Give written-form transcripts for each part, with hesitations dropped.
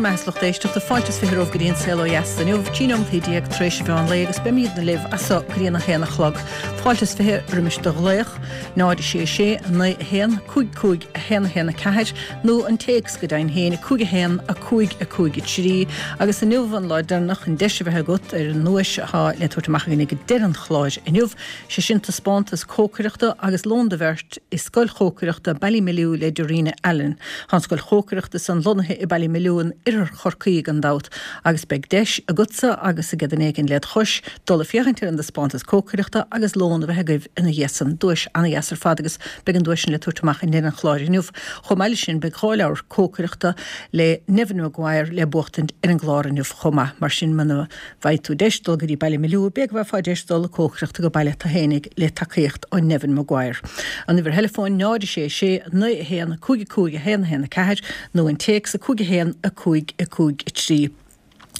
maith a lucht éisteachta, fáilte is 20 romhaibh go dtí an Saol Ó Dheas inniu, 13 nóimeataí tar éis an mheán lae agus beimídne libh as so go dtí an 1 a chlog. Fáilte is 20 roimis do ghlaoch, 0 6 6 9 1 5 5 1 1 4 nó an téacs go deimhin féin, 5 1 5 5 3 agus inniu an lá deireanach an deis a bheith agat ar an nduais atá le tabhairt amach againn ag deireadh an chláir inniu. Sé sin taispeántas cócaireachta agus lón do bheirt i Scoil Chócaireachta Ballymaloe le Darina Allen. Tá an scoil chócaireachta san lonnaithe i Ballymaloe in oirthear Chorcaí gan dabht agus beidh deis agatsa agus ag duine éigin led chois dul ag féachaint ar an dtaispeántas cócaireachta agus lón a bheith agaibh ina dhiaidh san. Duais ana-dheas ar fad agus beidh an duais sin le tabhairt amach i ndeireadh an chláir inniu. Chomh maith leis sin beidh 2 leabhar cócaireachta le Neven Maguire le buachtaint ar an gclár inniu chomh maith. Mar sin muna bhfaighidh tú deis dul go dtí Ballymaloe, b'fhéidir go bhfaighfeá deis dul ag cócaireacht go baile do fhéinig le tacaíocht ó Neven Maguire. An uimhir theileafóin 0 6 6 9 1 5 5 1 1 4 nó an téacs 5 1 5 5 3.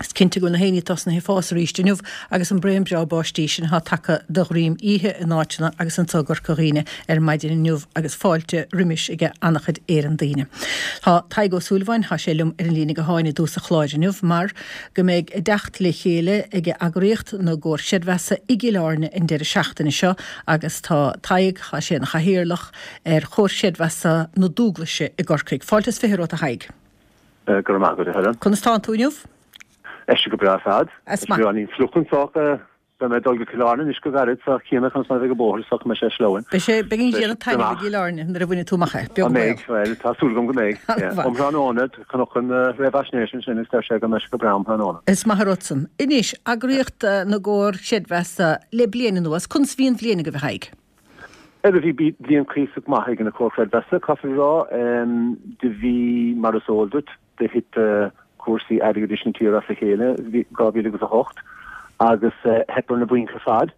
Is cinnte go bhfuil na héiní tosnaithe ag fás arís inniu agus an braon breá báistí sin atá tagtha de dhroim oíche in áiteanna agus anso i gCorca Dhuibhne ar maidin inniu agus fáilte roimis ag an-chuid Éireann daoine. Tá Tadhg Ó Súilleabháin, tá sé liom ar an líne gutháin i dtús an chláir inniu mar go mbeidh a dteacht le chéile ag eagraíocht na gComhar Creidmheasa i gCill Airne an deireadh seachtaine seo agus tá Tadhg, tá sé ina chathaoirleach ar Chomhar Creidmheasa na Dúglaise i gCorcaigh. Fáilte is 20 romhat a Thaidhg. Go raibh maith agat a Helen. Conas tánn tú inniu? Tá sé go breá ar fad. Is maith. Beagáinín fliuch anso Beidh mé ag dul go Cill Airne anois go gairid so cífidh mé conas mar a bheidh an bóthar so go mbeidh sé sleamhain. Beidh sé, beidh an ghrian ag taitneamh i gCill Airne nuair a bhainfidh tú amach é, beag an baol. An mbeidh? Bhuel, tá súil agam go mbeidh. Um thráthnóna, chonac an réamhaisnéis ansin agus deir sé go mbeidh sé go breá um thráthnóna. Is maith an rud san. Anois, eagraíocht na gComhar Creidmheasa le bliain anuas, conas a bhí an bhliain agaibh a Thaidhg? Bhuel, bhí bliain cuíosach maith ag na Comhair Chreidmheasa, caithfear a rá. Do bhí, mar is eol duit, do thit cúrsaí airgeadais na tíre as a chéile i 2008 agus theip ar na bainc ar fad.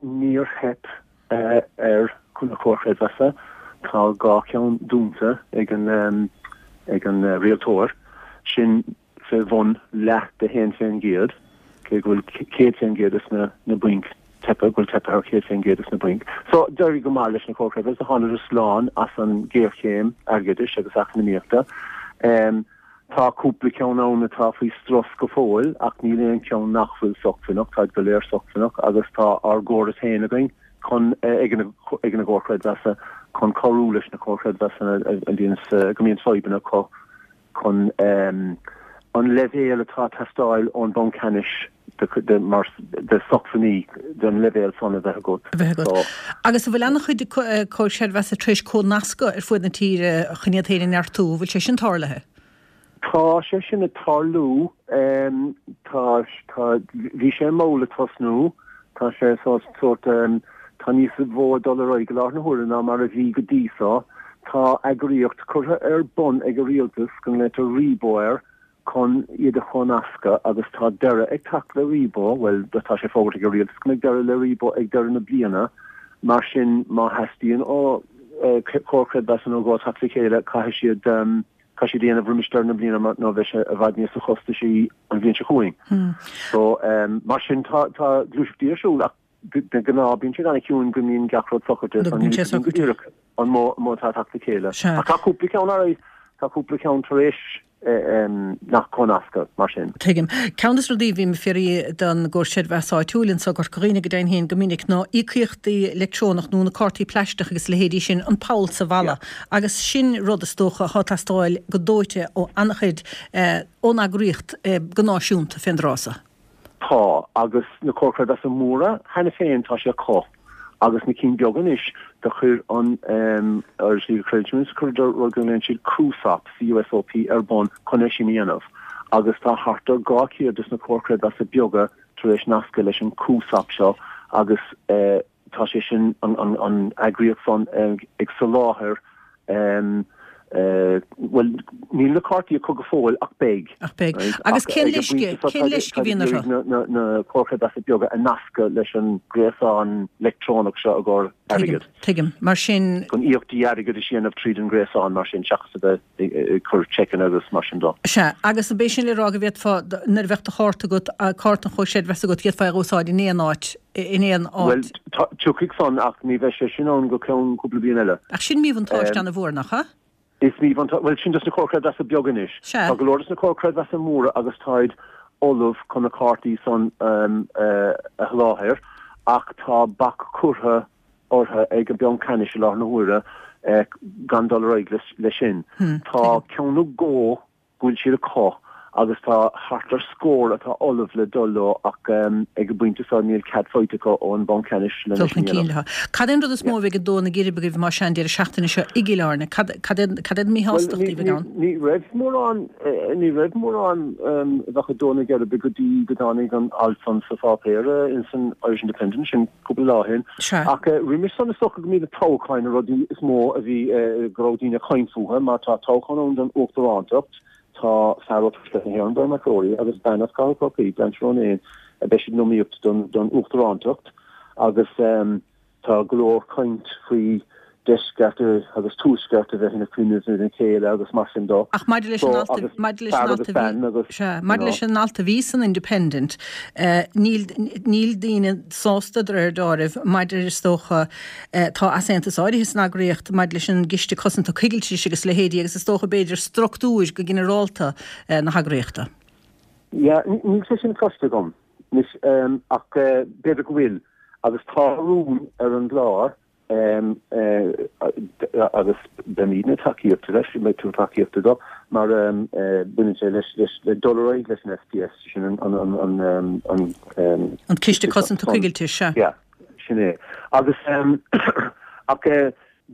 Níor theip ar na Comhair Chreidmheasa. Tá 2 cheann dúnta ag an ag an rialtóir. Sin fé bhun leath de 1%, cé go bhfuil 100% des na bainc teipthe, go bhfuil teipthe ar 100% des na bainc. So, d'éirigh go maith leis na Comhair Chreidmheasa, thánadar slán as an ghéarchéim airgeadais agus eacnamaíochta. Tá cúpla ceann ann atá faoi strus go fóill, ach níl aon cheann nach bhfuil socmhainneach, táid go léir socmhainneach agus tá ár gcóras féin againn chun, ag na Comhair Chreidmheasa, chun cabhrú leis na Comhair Chreidmheasa a bhíonns, go mbíonns fadhbanna acu. chun an leibhéal atá ag teastáil ón Bhanc Ceannais de mar de socmhainní den leibhéal san a bheith agat. a bheith agat. Agus an bhfuil an-chuid Comhair Chreidmheasa tar éis comhnascadh ar fuaid na tíre chun iad féin a neartú? An bhfuil sé sin tarlaithe? Tá sé sin ag tarlú. Tá, tá, bhí sé mall ag tosnú. Tá sé sórt, tá níos mó ag dul ar aghaidh i láthair na huaire ná mar a bhí go dtí so. Tá eagraíocht curtha ar bun ag an rialtas go nglaoitear Rebo air chun iad a chomhnascadh agus tá deireadh ag teacht le Rebo, bhuel tá sé fógartha ag an rialtas go mbeidh deireadh le Rebo ag deireadh na bliana, mar sin má theastaíonn ó Chomhar Creidmheasa nó dhó teacht le chéile caithfidh siad caithfidh siad a dhéanamh roimis deireadh na bliana mar nó beidh sé i bhfad níosa chostaisí an bhliain seo chugainn. So mar sin tá tá gluaiseachtaí ar siúl ach de ghnáth bíonn siad an-chiúin go mbíonn gach rud socraithe so níl a fhios go díreach an mó mó atá ag teacht le chéile. Ach tá cúpla ceann ar aghaidh, tá cúpla ceann tar éis nach comhnascadh mar sin. Tuigim. Ceann de na rudaí a bhím ag fiafraí den gComhar Creidmheasa áitiúil anso i gCorca Dhuibhne go deimhin féin go minic ná íocaíochtaí leictreonach nó na cártaí plaisteach agus a leithéidí sin, an poll sa bhalla. Agus sin rud is dócha atá ag teastáil go dóite ó an-chuid ón eagraíocht go náisiúnta fén dtráth so. Tá, agus na Comhair Chreidmheasa móra cheana féin tá sé acu, agus na cinn beaga anois, do chuir an Irish League of Credit Unions, chuireadar rud go nglaonn siad CUSOP, C-U-S-O-P, ar bun chun é sin a dhéanamh, agus tá thart ar 200 des na Comhair Chreidmheasa beaga tar éis nascadh leis an CUSOP seo agus tá sé sin, an eagraíocht san ag soláthar, bhuel, níl na cártaí acu go fóill ach beidh. Ach beidh. Agus cén leisce, cén leisce a bhíonn orthu? Na Comhair Chreidmheasa beaga a nascadh leis an gréasán leictreonach seo i gcomhair airgid. Tuigim. Mar sin. Chun íocaíochtaí airgeadais a dhéanamh tríd an ngréasán mar sin seachas a bheith ag cur seiceanna agus mar sin de. Sea. Agus ab é sin le rá go bhféadfá, nuair a bheadh do chárta agat, cárta an Chomhair Chreidmheasa agat, d'fhéadfá é a úsáid in aon áit, in aon áit. Bhuel, tiocfaidh san ach ní bheidh sé sin ann go ceann cúpla bliain eile. Ach sin míbhuntáiste an-mhór, nach ea? Is míbhuntáiste, bhuel sin dos na Comhair Creidmheasa beaga anois. Sea. Tá go leor dos na Comhair Creidmheasa móra agus táid ullamh chun na cártaí san a sholáthar ach tá bac curtha orthu ag an Banc Ceannais i láthair na huaire gan dul ar aghaidh leis sin. Tá ceann nó dhó go bhfuil siad acu agus tá thart ar scór atá ullamh le dul leo ach ag an bpointe seo níl cead faighte acu ón Bhanc Ceannais lena Dul chun cinn leo. Cad é an rud is mó a bheidh ag dó na geirbe agaibh más ea an deireadh seachtaine seo i gCill Airne? Cad cad é cad é an mhíshástacht a bheidh ann? Ní raibh mórán ní raibh mórán a bheadh ag dó na geirbe go dtí go dtáinig an alt san sa pháipéar ins an Irish Independent sin cúpla lá ó shin. Sea. Ach roimis san is dócha go mb'iad na toghcháin na rudaí is mó a bhí, go raibh daoine ag caint fúthu, mar tá toghchán ann don uachtarántacht, tá fear ó Tuaisceart na hÉireann, Brian McCrory, agus bean as Cathair Chorcaí, Blanche Ronayne, beidh siad in iomaíocht don uachtarántacht agus tá go leor caint faoi deisceart agus tuaisceart a bheith ina coinnibh lena chéile agus mar sin de. Ach maidir leis an alt a, maidir leis an alt a bhí, sea, maidir leis an alt a bhí san Independent, níl, níl daoine sásta de réir deáraimh maidir, is dócha, tá easaontas áirithe san eagraíocht maidir leis an gCiste Cosanta Coigiltis agus a leithéidí agus is dócha b'fhéidir structúir go ginearálta na heagraíochta. Yeah, níl sé sin cloiste agam anois ach b'fhéidir go bhfuil agus tá rún ar an gclár agus beimidne tacaíochta leis, beidh tú tacaíochta dó, mar baineann sé leis le dul ar aghaidh leis an SPS, sin an an an An Ciste Cosanta Coigiltis, sea. Yeah, sin é. Agus ach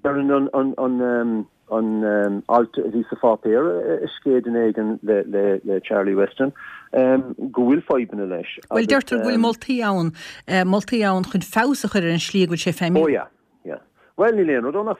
deireann an an an an alt a bhí sa pháipéar a scéid duine éigin le Charlie Weston go bhfuil fadhbanna leis Bhuel, deirtear go bhfuil moltaí ann, moltaí ann chun feabhas a chur ar an slí go bhfuil sé ag feidhmiú. Oh yeah, yeah. Bhuel, níl aon rud ann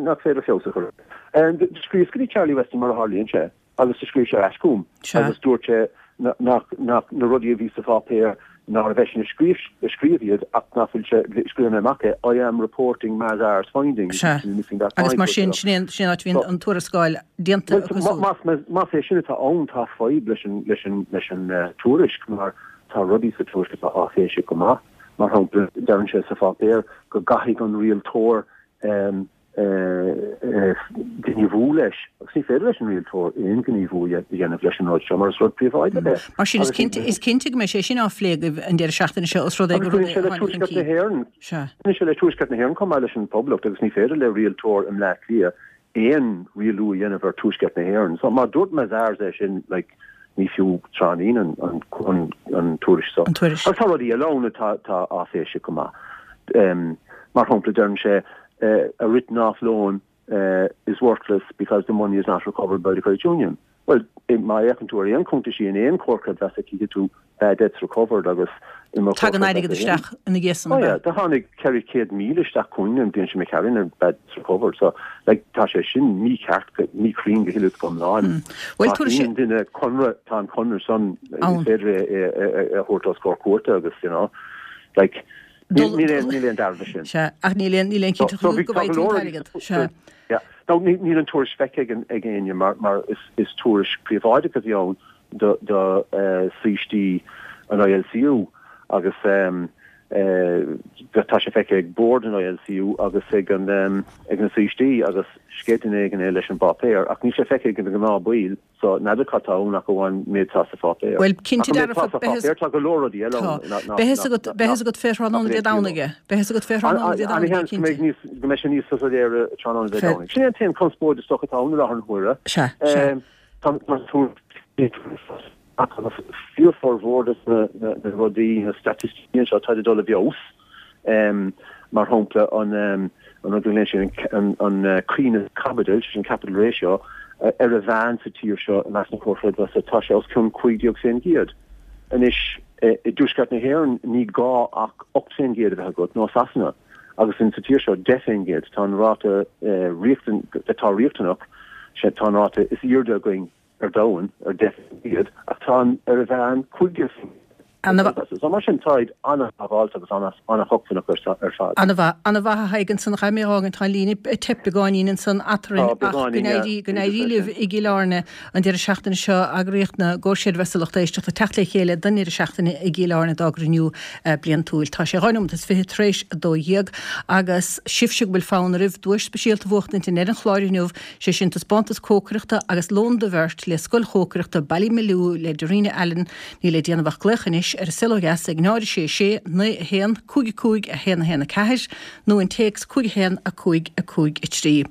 nach féidir feabhas a chur air. Scríobhas go dtí Charlie Weston mar a tharlaíonn sé. Agus do scríobh sé ar ais chugam agus dúirt sé nach, nach, na rudaí a bhí sa pháipéar, nárbh eisean a scríobh, a scríobh iad ach nach bhfuil sé, scríobh mé amach é, I am reporting Mazars findings, Sea. missing that Agus mar sin, sin é an, sin é an áit a bhíonn an tuarascáil déanta acu siúd. Más, más, más é sin atá ann, tá fadhb leis an, leis an, leis an tuairisc mar tá rudaí sa tuairisc atá áiféiseach go maith. Mar shampla, deireann sé sa pháipéar go gcaithfidh an rialtóir gníomhú leis, agus ní féidir leis an rialtóir aon ghníomhú a dhéanamh leis an rud seo mar is rud príobháideach é. Mar sin, is cinnte, is cinnte go mbeidh sé sin á phlé agaibh an deireadh seachtaine seo os rud é gur rud é a tháinig chun cinn. Sea. Baineann sé le Tuaisceart na hÉireann chomh maith leis an Phoblacht agus ní féidir le rialtóir i mBleá Cliath aon rialú a dhéanamh ar Tuaisceart na hÉireann. So má dúirt Mazars é sin, like, ní fiú tráithnín an, an, an, an tuairisc so. An tuairisc. Agus tá rudaí eile ann atá, atá áiféiseach go maith. Mar shampla, deireann sé, a written off loan is worthless because the money is not recovered by the credit union. Bhuel, má fhéachann tú ar aon cuntaisí in aon chomhar creidmheasa cífidh tú bad debts recovered agus i mo chomhar Tagann airgead isteach ina dhiaidh san, ab ea? Oh yeah, do tháinig 400,000 isteach chugainn an bhliain seo imigh tharainn ar bad debts recovered so like tá sé sin mícheart, míchruinn go huile is go hiomlán. Bhuel, Má shíníonn duine conradh, tá an conradh san, is féidir é a thabhairt os comhair cúirte agus you know, like, Níl aon dealramh leis sin. Sea, ach níl aon níl aon chinnteacht go bhfaighidh tú an t-airgead. Sea. Yeah. Now, níl an tuairisc feicthe ag ag éinne mar mar is is tuairisc príobháideach a bhí ann do do saoistí an ILCU agus tá sé feicthe ag bord an ILCU agus ag an ag na saoistí agus sceith duine éigin é leis an bpáipéar ach níl sé feicthe ag na gnáthbhaill. So, n'fheadar cad tá ann ach amháin méid atá sa pháipéar. Bhuel, cinnte dearfa, beidh a fhios. Tá go leor rudaí eile ann. Tá. Beidh a fhios agat, beidh a fhios agat fé thráthnóna Dé Domhnaigh é. Beidh a fhios agat fé thráthnóna Dé Domhnaigh é, cinnte. Go mbeidh sé níos soiléire tráthnóna Dé Domhnaigh. Sin é an t-aon conspóid is dócha atá ann i láthair na huaire. Sea, sea. Tá agus fíorfhormhór de na rudaí, na staitisticí anseo, táid ag dul i bhfeabhas. Mar shampla, an rud go nglaonn siad an coibhneas caipitil, sé sin capital ratio, ar a mheán sa tír seo i measc na comhar creidmheasa, tá sé os cionn 15%. Anois, i dTuaisceart na hÉireann ní gá ach 8% a bheith agat, nó Sasana, agus in sa tír seo 10%. Tá an ráta atá riachtanach, tá an ráta is airde againn ar domhan, ar 10%, ach tá an ar a mheán 15%. Comhar Creidmheasa. So mar sin táid an-sábháilte agus an-shócmhainneach ar fad. An-mhaith. An-mhaith a Thaidhg ansan a chaithfidh mé a dh'fhágaint, tá an líne ag teip beagáinín ansan eatarinn ach go n-éirí, go n-éirí libh i gCill Airne an deireadh seachtaine seo, eagraíocht na gComhar Creidmheasa Lucht Éisteachta ag teacht le chéile don ndeireadh seachtaine i gCill Airne dá gcruinniú bliantúil. Tá sé 12 nóimeat tar éis 12 agus sibhse go bhfuil fonn oraibh duais speisialta a bhuachtaint i ndeireadh an chláir inniu, sé sin taispeántas cócaireachta agus lón do bheirt le Scoil Chócaireachta Ballymaloe le Darina Allen, Níl le déanamh ach glaoch anois ar An Saol Ó Dheas ag 0 6 6 9 1 5 5 1 1 4 nó an téacs 5 1 5 5 3.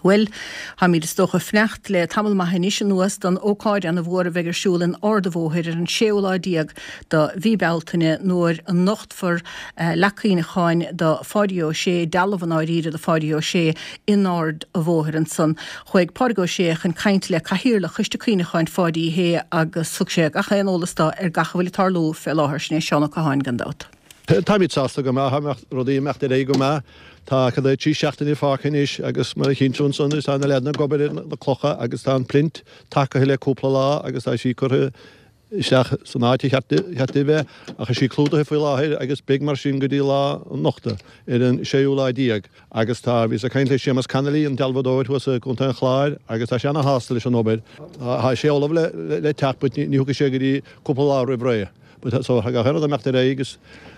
Bhuel, táimid is dócha ag fanacht le tamall maith anois anuas don ócáid ana mhór a bheidh ar siúl in Ard a' Bhóthair ar an séú lá déag do mhí Bealtaine nuair a nochtfar leac cuimhneacháin do Pháidí Ó Sé, dealbh i ndáiríre do Pháidí Ó Sé in Ard a' Bhóthair ansan. Chuaigh Pádraig Ó Sé chun caint le Cathaoirleach Choiste Cuimhneacháin Pháidí Uí Shé agus thug sé gach aon eolas dó ar gach a bhfuil ag tarlú fé láthair. Sin é Seán Ó Catháin gan dabht. Táimid sásta go maith, tá rudaí ag imeacht ar aghaidh go maith. Tá cad é 3 seachtaine fágtha anois agus mar a chíonn tú ansan is tá na leaideanna ag obair ar na clocha agus tá an plinth tagtha le cúpla lá agus tá sí curtha isteach san áit a cheart di a bheith ach tá sí clúdaithe faoi láthair agus beidh mar sin go dtí lá an nochta ar an séú lá déag. Agus tá, bhíos ag caint le Séamus Connolly, an dealbhadóir thuas i gContae an Chláir agus tá sé ana-shásta leis an obair. Tá sé ullamh le teacht but ní thiocfaidh sé go dtí cúpla lá roimh ré. But so tá gach aon rud ag imeacht ar aghaidh agus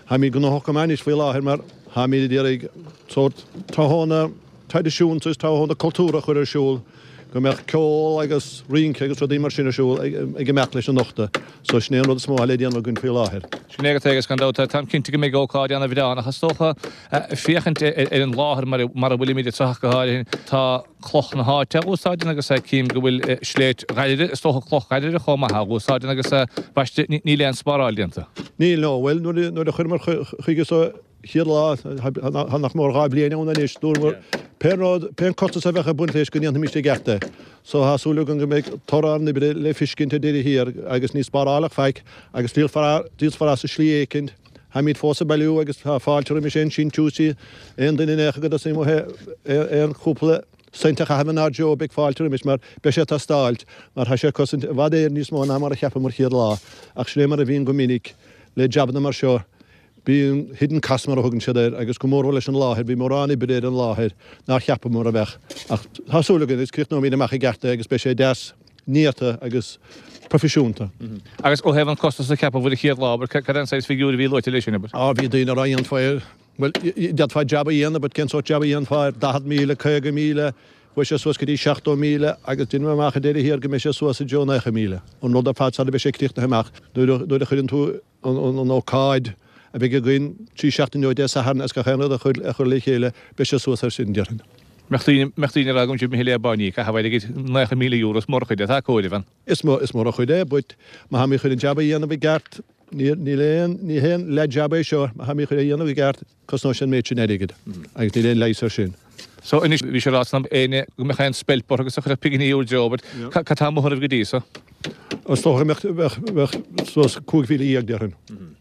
táimid gnóthach go maith anois faoi láthair mar táimid ag iarraidh sórt tráthnóna traidisiúnta is tráthnóna cultúrtha a chur ar siúl, go mbeadh ceol agus rince agus rudaí mar sin ar siúl ag imeacht leis an nochtadh. So sin é an rud is mó atá le déanamh againn faoi láthair. Sin é agat é agus gan dabht táim cinnte go mbeidh ócáid ana-bhreá ann ach is dócha féachaint ar an láthair mar a bhfuilimid anseo ach go háirithe tá cloch na háite á úsáid agus cím go bhfuil sléibhte Dhoire, is dócha cloch Dhoire chomh maith á úsáid agus baiste níl aon spáráil déanta. Níl no, bhuel nuair a chuireamar chuige so chéad lá, tá nach mór 2 bhliain ann anois, dúramar pé rud, pé costas a bheadh ag baint leis go ndéanfaimis i gceart é. So tá súil agam go mbeidh toradh ár n-oibre le fiscint ar deireadh thiar agus ní spárálfadh faic agus díolfar, díolfar as i slí éicint. Táimid fós ag bailiú agus tá fáilte roimis aon síntiúsaí, aon duine in aon chor go dtosaíonn aon chúpla cent a chaitheamh inár dtreo, beidh fáilte roimis mar beidh sé ag teastáilt mar tá sé ag cosaint i bhfad Éireann níos mó ná mar a cheapamar chéad lá. Ach sin é mar a bhíonn go minic le jabanna mar seo. Bíonn hidden costs mar a thugann siad air agus go mórmhór leis an láthair, bhí mórán oibre ar an láthair nár cheapamar a bheadh. Ach tá súil againn agus críochnóimid amach i gceart é agus beidh sé deas néata agus proifisiúnta. Agus ó thaobh an costas a ceapadh an chéad lá, abair, cad é an saghas figiúr a bhí luaite leis sin, abair? Á, bhí daoine ag rá dhéanfá é, bhuel, d'fhéadfá jab a dhéanamh but cén sórt jab a dhéanfá ar 40,000, 50,000, chuaigh sé suas go dtí 70,000 agus deinim amach ar deireadh thiar go mbeidh sé suas i dtreo 90,000. An rud ar fad sara mbeidh sé críochnaithe amach nuair a chuireann tú an ócáid a bheidh againn 3 seachtaine ó Dé Sathairn agus gach aon rud a chur le chéile, beidh sé suas air sin, déarfainn. Mbeadh daoine, mbeadh daoine ag rá go bhfuil sibh imithe le báiní ag caitheamh airgid, €90,000, is mór an chuid é, tá comhaireamh ann. Is mór, is mór an chuid é, but má tháimid chun an jab a dhéanamh i gceart, níl, níl aon, ní haon leath jab é seo, má tháimid chun é a dhéanamh i gceart, Cosnóidh sé an méid sin airgid agus níl aon leigheas air sin. So anois, bhí sé ráite agam éinne go mbeadh aon speilp orthu agus a chuirfeadh pinginí bhur dtreo, but cad tá amuigh oraibh go dtí so? Is dócha go mbeadh, bheadh suas 15,000 déarfainn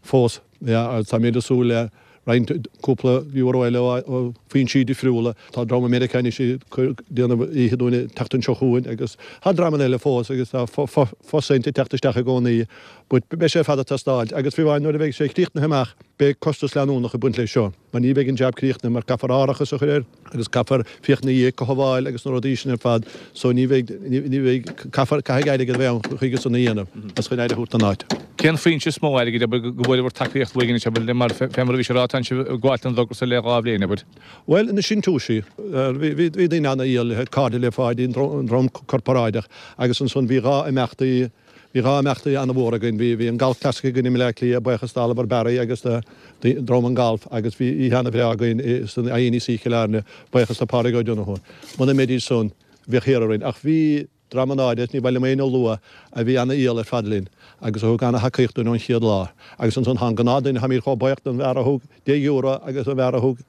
fós. Yeah, agus táimid ag súil le roinnt, cúpla euro eile ó foinsí difriúla. Tá dream i Meiriceá anois ag déanamh oíche dúinn an tseachtain seo chugainn agus tá dreamanna eile fós agus tá fo-cent ag teacht isteach i gcónaí. But beidh sé ar fad ag teastáilt agus fiú amháin nuair a bheidh sé críochnaithe amach, Beidh costas leanúnach ag baint leis seo, mar ní bheidh an jab críochnaithe, mar caithfear árachas a chur air agus caithfear féachaint ina dhiaidh, cothabháil agus na rudaí sin ar fad, so ní bheidh, ní bheidh, caithfear, caithfidh airgead a bheith ann chuige san a dhéanamh agus chun aire a thabhairt don áit. Cén foinse is mó airgid, abair, go bhfuaireabhair tacaíocht uaidh anois, abair, mar, fé mar a bhí sé ráite, tánn sibh ag gabháilt don dtogra so le 2 bhliain, abair? Bhuel, na síntiúisí, bhí, bhí, bhí daoine ana-fhial, cairde le Pháidí, an dream corparáideach agus ansan bhí 2 imeachtaí, Bhí 2 imeachtaí an-mhór againn. Bhí bhí an Golf Classic againn i mBleá Cliath, buíochas d'Oliver Barry agus do Dream an Golf agus bhí oíche an-bhreá againn san INEC Cill Airne, buíochas do Pádraig Ó Donnchú. Muna mbeidís san, bheadh thiar orainn. Ach bhí dream an-áirithe, ní mhaith liom éinne a lua, a bhí an-fhial ar fad linn agus a thug an-thacaíocht dúinn ón chéad lá. Agus ansan tá an gnáthduine, táimid chomh buíoch don bhfear a thug €10 agus an bhfear a thug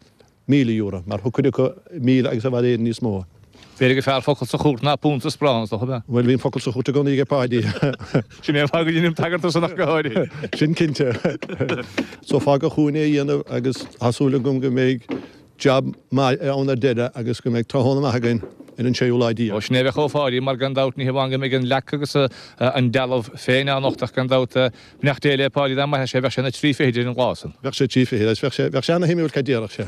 €1,000, mar thug cuid acu 1,000 agus i bhfad Éireann níos mó. B'fhéidir gur fearr focal sa chúirt ná punt sa sparán, is dócha, ab ea? Bhuel, bhí an focal sa chúirt i gcónaí aige Páidí. Sin é an fáth go ndeinim tagairt dó san ach go háirithe. Sin cinnte. So fágadh chugainn é a dhéanamh agus tá súil agam go mbeidh jab maith ann ar deireadh agus go mbeidh tráthnóna maith againn. ar an séú lá déag. Ó, sin é a bheadh ó Pháidí, mar gan dabht ní hamháin go mbeidh an leac agus an dealbh féin á nochtadh ach gan dabht, beannacht Dé le Páidí dá mairfeadh sé, bheadh sé ina thrí fichid ar an lá san. Bheadh sé trí fichid agus bheadh sé, bheadh sé ana-shuimiúil cad déarfadh sé.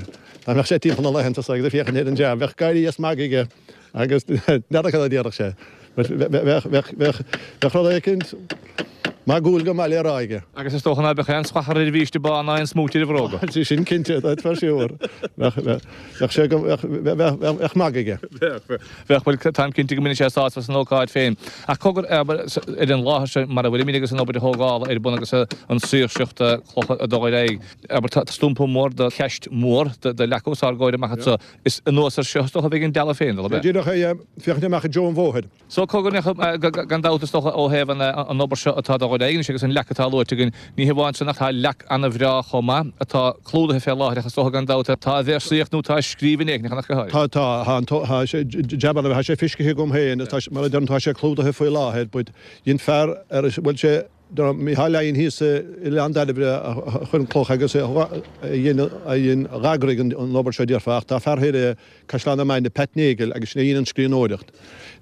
Dá mbeadh sé timpeall na laethanta so agus ag féachaint ar an jab, bheadh gáirí is magadh aige agus n'fheadar cad a déarfadh sé. Bheadh, bheadh, bheadh, bheadh rud éicint magúil go maith le rá aige. Agus is dócha ná beadh aon sclathar ar a bhiaiste bán ná aon smúit ar a bhróga. Sé sin cinnte, that's for sure. Bheadh, bheadh, bheadh sé go, bheadh, bheadh, bheadh, bheadh magadh aige. Bheadh, bheadh, bheadh, bhuel, táim cinnte go mbainfeadh sé sásamh as an ócáid féin. Ach cogar, abair, ar an láthair seo mar a bhfuilimid agus an obair thógála ar bun agus an saoirseacht clocha ag dul ar aghaidh, abair, tá stumpa mór de cheist mhór de leac os ár gcomhair amach anseo. Is anuas air seo is dócha a bheidh an dealbh féin, ab ea? Díreach é, féachaint amach i dtreo an bhóthair. So, cogar, gan dabht is dócha ó thaobh an obair seo atá ag dul ar aghaidh anois agus an leac atá luaite againn, ní hamháin sin ach tá leac ana-bhreá chomh maith atá clúdaithe fé láthair ach is dócha gan dabht tá a véarsaíocht nó tá a scríbhinn éigin ach go háirithe. Tá, tá, tá an, tá sé, jab ana, tá sé feiscithe agam féin, tá, mar a deirim, tá sé clúdaithe faoi láthair but dhein fear ar a bhfuil sé, Micheál Laighin thíos i Oileán Dairbhre a chuir an cloch agus a dhein a d'eagraigh an obair seo déarfá ach tá fear thoir i Caisleán na Mainge, Pat Nagle, agus sin é a dhein an scríbhneoireacht.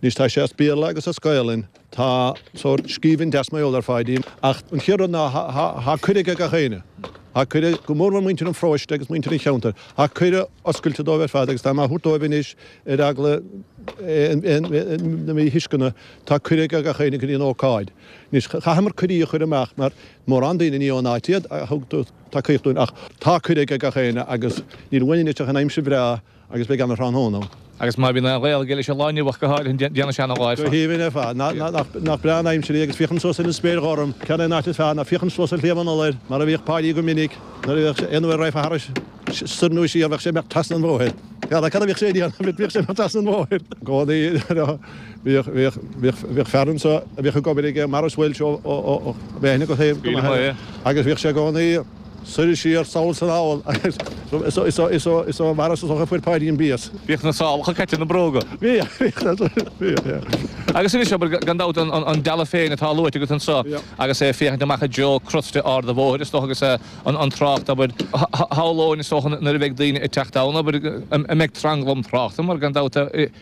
Anois tá sé as Béarla agus as Gaelainn. Tá sórt scríbhinn deas mar gheall ar Pháidí ach an chéad rud ná tá cuireadh ag gach éinne. Tá cuireadh, go mór mór muintir an pharóiste agus muintir an cheantair. Tá cuireadh oscailte dóibh ar fad agus tá mé á thabhairt dóibh anois ar eagla na míthuisceana, tá cuireadh ag gach éinne go dtí an ócáid. Anois, chaitheamar cuirí a chur amach mar mórán daoine ní ón áit iad a thug tacaíocht dúinn ach tá cuireadh ag gach éinne agus níl uainn anois ach an aimsir bhreá agus beidh ana-thráthnóna ann. Agus má bhíonn aon ghaol aige leis an lá inniu ach go háirithe, déanfaidh sé ana-lá ar fad. Go haoibhinn ar fad. Nach breá an aimsir í agus féachaint suas ar an spéir ghorm, cad é an áit is fearr ná féachaint suas ar Shliabh an Iolair mar a bhíodh Páidí go minic nuair a bhíodh sé aon uair a raghfá thairis soir nó siar bheadh sé ag imeacht trasna an bhóthair. Cad a bhíodh sé ag déanamh? Bhíodh sé ag imeacht trasna an bhóthair. I gcónaí bhíodh, bhíodh, bhíodh, bhíodh fear anso a bhíodh ag obair aige, Maurice Walsh ó, ó, ó, ó, bhí aithne agat air go maith air. Agus bhíodh sé i gcónaí soir is siar, sall is anall agus is ó, is ó, is ó, is ó Maurice is dócha a fuair Páidí an béas. Bhíodh na sálacha caite ina bróga. Bhíodh, bhíodh, bhíodh, yeah. Agus anois, abair, gan dabht, an, an dealbh féin atá luaite agat anso agus é ag féachaint amach i dtreo crosta ard an bhóthair, is dócha, agus an trácht, abair, shamhlóinn, is dócha, nuair a bheidh daoine ag teacht ann, abair, an mbeidh tranglam tráchta, mar gan dabht,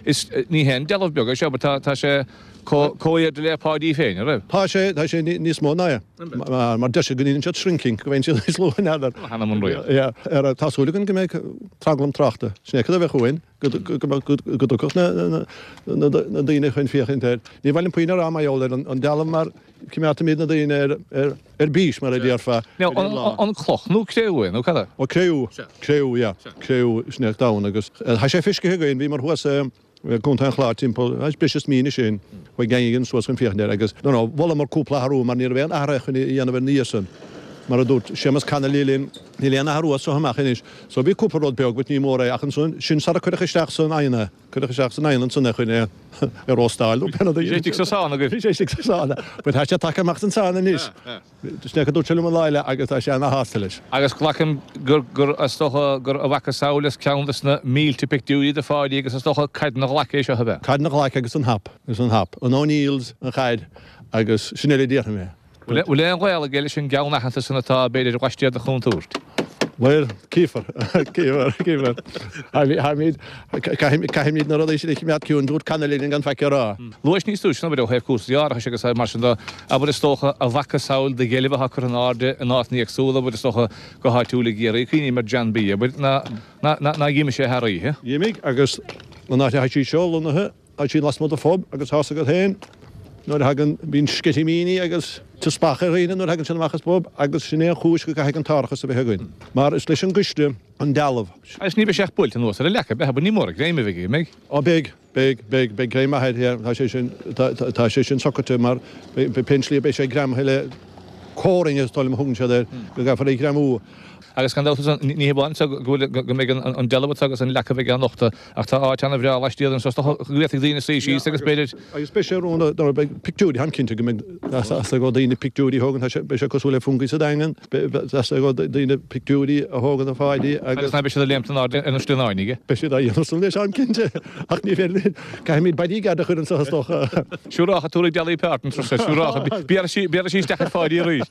is, ní haon dealbh beag é seo, abair, tá, tá sé chomh airde le Páidí féin, an raibh? Tá sé, tá sé níos mó ná é, mar, mar deir siad go ndéanann siad shrinking, go bhfaigheann siad níos lú, n'fheadar. Th'anam 'on rí. Yeah, ar, tá súil againn go mbeidh tranglam tráchta, sin é cad a bheadh uainn, go, go, go, go, go dtiocfadh na, na, na, na daoine chun féachaint air. Ní mhaith liom puinn a rá mar gheall ar an, an dealbh mar coimeádfaimid na daoine ar, ar, ar bís, mar a déarfá, ar an lá. An cloch nó cré-umha é, nó cad é? Ó, cré-umha. Cré-umha, yeah. Cré-umha, sin é donn agus tá sé feiscithe againn, bhíomar thuas i gContae an Chláir timpeall, breis is mí anois ó shin, chuaigh gang againn suas chun féachaint air agus, you know, mholamar cúpla athrú mar ní raibh aon athruithe chun a dhéanamh ina dhiaidh san. Mar a dúirt Séamus Connolly linn, níl aon athrú as so amach anois. So bhí cúpla rud beag but ní mór é ach ansan, sin sara cuireadh isteach san oigheann é. Cuireadh isteach san oigheann ansan é chun é a róstáil nó pé rud a Bhí sé istigh sa sauna agaibh. Bhí sé istigh sa sauna. But tá sé tagtha amach as an sauna anois. Sin é a dúirt sé liom an lá eile agus tá sé ana-shásta leis. Agus glacaim gur, gur, is dócha gur a mhacasamhail as ceann de na mílte pictiúirí de Pháidí agus is dócha caid na glaice é seo ab ea? Caid na glaice agus an hap, agus an hap. An O'Neills, an chaid agus sin uile a déarfaidh mé. Bhfuil aon ghaol aige leis an gceann aitheanta san atá, b'fhéidir, laistiar de chontúirt? Bhuel, cífear, cífear, cífear. Táimid, caithfimid na rudaí sin a choimeád ciúin, dúirt Connolly linn gan faic a rá. Luais níos túisce, abair, ó thaobh cúrsaí árachais agus mar sin de, abair, is dócha, a mhacasamhail de dheilbh atá curtha in airde in áiteanna éagsúla, abair, is dócha, go háitiúil i gCiarraí, cuimhním ar John B, abair, ná, ná, ná d'imigh sé thar oíche. D'imigh, agus an áit atá sí seo lonnaithe, Tá sí lasmuigh de phub agus tá's agat féin nuair a thagann, bíonn sceitimíní agus teaspach ar dhaoine nuair a thagann siad amach as pub agus sin é an chúis go gcaithfidh an t-árachas a bheith againn mar is leis an gcoiste an dealbh. Agus ní bheidh sé ach buailte anuas ar an leac, ab ea? Ní mór an greim a bheidh aige, an mbeidh? Ó beidh, beidh, beidh, beidh greim maith air, yeah, tá sé sin, tá, tá sé sin socraithe mar pén slí a beidh sé greamaithe le coring is dóigh liom a thugann siad air, go gcaithfear é a ghreamú. Agus gan dabht ní hamháin so go bhfuil, go mbeidh an dealbh anseo agus an leac a bheidh á nochtadh Ach tá áit ana-bhreá laistiar anseo, is dócha go bhféadfaidh daoine suí síos agus b'fhéidir. Agus beidh sé rún nuair a beidh pictiúirí, táim cinnte go mbeidh teastáil ó daoine pictiúirí a thógaint, tá sé, beidh sé cosúil le Fungie sa Daingean, beidh teastáil ó daoine pictiúirí a thógaint de Pháidí agus. Agus ná beidh siad ag léimt in airde ar na slinneáin aige. Beidh siad á dhéanamh san leis, táim cinnte, ach ní féidir linn, caithfimid bodyguard a chur anseo is dócha. Siúrácha, tabharfaidh Dolly Parton tusa, siúrácha, béarfaidh sí isteach ar Pháidí arís.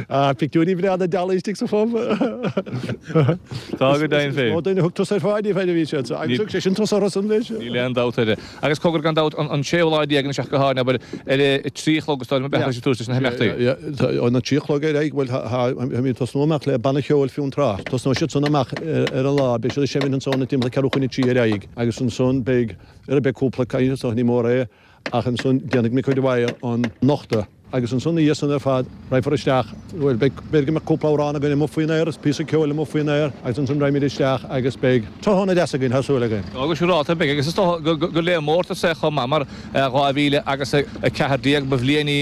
Ah, pictiúirí breá. na dealbha istigh sa phub. Tá go deimhin féin. Is mó duine a thug turas ar Pháidí fad a bhí sé anso. Agus thug sé sin turas orthusan leis. Níl aon dabht air. Agus cogar gan dabht, an séú lá déag anois ach go háirithe, abair, ar a trí a chlog is dóigh liom, beifear ag tús leis na himeachtaí. Óna trí a chlog ar aghaidh, bhuel, táimid ag tosnú amach le banna cheoil Fionntrá. Tosnóidh siad san amach ar an lá, beidh siad ag seimint ansan ag timpeall ceathrú chun a trí ar aghaidh agus ansan beidh, beidh cúpla caint anso, ní mór é, ach ansan déanfaidh Mick O'Dwyer an nochtadh agus ansan ina dhiaidh san ar fad raghfar isteach, bhuel, beidh, b'fhéidir go mbeadh cúpla amhrán againn amuigh faoin aer agus píosa ceoil amuigh faoin aer agus ansan raghaimid isteach agus beidh tráthnóna deas againn, tá súil againn. Go siúrálta beidh agus is dócha gur le mórtas é chomh maith mar 2000 agus 14 ba bhliain í,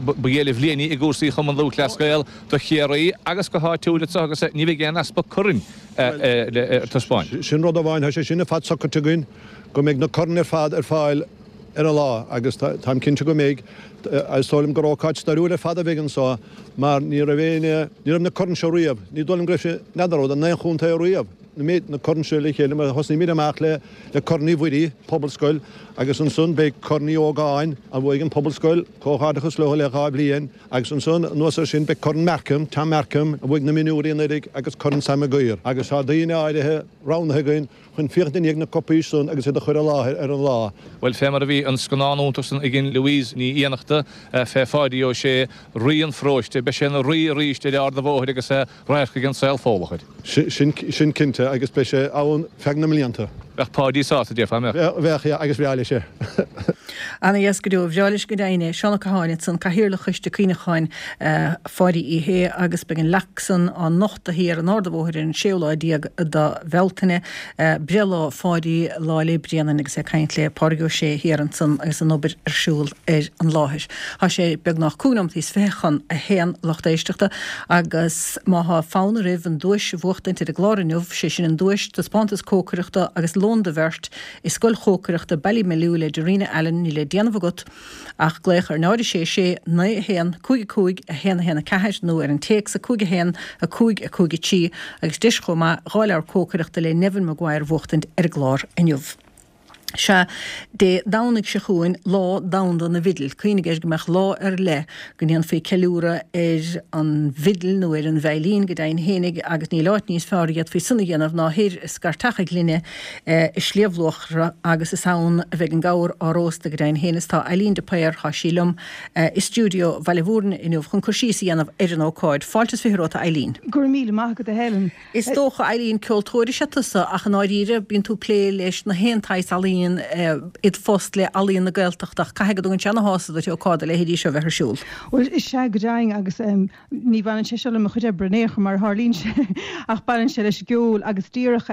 ba ghéire bhliain í i gcúrsaí Chumann Lúthchleas Gael do Chiarraí agus go háitiúil anseo agus ní bheidh aon easpa coirn le taispeáint. Sin rud amháin, tá sé sin ar fad socraithe againn. go mbeidh na coirn ar fad ar fáil ar an lá agus táim cinnte go mbeidh. Is dóigh liom gur ócáid stairiúil ar fad a bheidh anseo mar ní raibh éinne, ní raibh na coirn seo riamh, ní dóigh liom go raibh sé, n'fheadar an raibh in aon chontae riamh, na méid, na coirn seo le chéile mar thosnaímid amach le le Corn Uí Mhuirí, Pobalscoil, agus ansan beidh Corn Uí Ógáin a bhuaigh an Pobalscoil, comhghairdeachas leo le 2 bhliain, agus ansan anuas air sin beidh Corn Markham, Tom Markham, a bhuaigh na mionúirí anuraidh agus Corn Sam Maguire agus tá daoine áirithe roghnaithe againn chun féachaint i ndiaidh na cupaí san agus iad a chur i láthair ar an lá. Bhuel, fé mar a bhí an scannán iontach san againn Louise Ní Fhiannachta fé Pháidí Ó Sé, Rí an Pharóiste, beidh sé ina rí arís ar Ard a' Bhóthair agus radharc ag an saol Fódhlach air. Sin cinnte, agus beidh sé ann feadh na mblianta. Bheadh Páidí sásta, déarfá, an mbeadh? Bheadh, yeah, agus bhreá leis é. Ana-dheas go deo. Bhreá leis go deimhin é. Seán Ó Catháin ansan, Cathaoirleach Choiste Cuimhneacháin Pháidí Uí Shé agus beidh an leac san á nochtadh thiar in Ard a' Bhóthair ar an séú lá déag de Bhealtaine, breithlá Pháidí, Lá 'le Bréanainn agus é ag caint le Pádraig Ó Sé thiar ansan agus an obair ar siúl ar an láthair. Tá sé beagnach cúig nóimeataí is fiche chun a haon lucht éisteachta agus má thá fonn oraibh an duais a bhuachtaint ar an gclár inniu, sé sin an duais, taispeántas cócaireachta agus lón do bheirt i Scoil Chócaireachta Ballymaloe le Darina Allen, níl le déanamh agat ach glaoch ar 0 6 6 9 1 5 5 1 1 4 nó ar an téacs 5 1 5 5 3 agus deis chomh maith 2 leabhar cócaireachta le Neven Maguire a bhuachtaint ar an gclár inniu. Sea, Dé Domhnaigh seo chugainn, Lá Domhanda na bhFidil. Cuimhnigh air go mbeadh lá ar leith go ndéanfaí ceiliúradh ar an bhfidil nó ar an veidhlín go deimhin fhéinig agus níl áit níos fearr a d'fhéadfaí san a dhéanamh ná thoir i Scairt a' Ghlinne i Sliabh Luachra agus is ann a bheidh an gabhar á róstadh go deimhin féin is tá Eileen de Paor, tá sí liom i stiúideo Bhaile Mhúirne inniu chun cur síos a dhéanamh ar an ócáid. Fáilte is fiche romhat a Eileen. Go raibh míle maith agat a Helen. Is dócha, Eileen, ceoltóir is ea tusa ach i ndáiríre bíonn tú ag plé leis na haon tsaghas ealaíon id phost le Ealaíon na Gaeltachta ach caithfidh go dtugann sé ana-shásamh duit ócáid dá leithéidí seo a bheith ar siúl. Bhuel, is ea go deimhin agus Ní bhaineann sé seo le mo chuid oibre in aon chor, mar a tharlaíonn sé, ach baineann sé leis an gceol agus díreach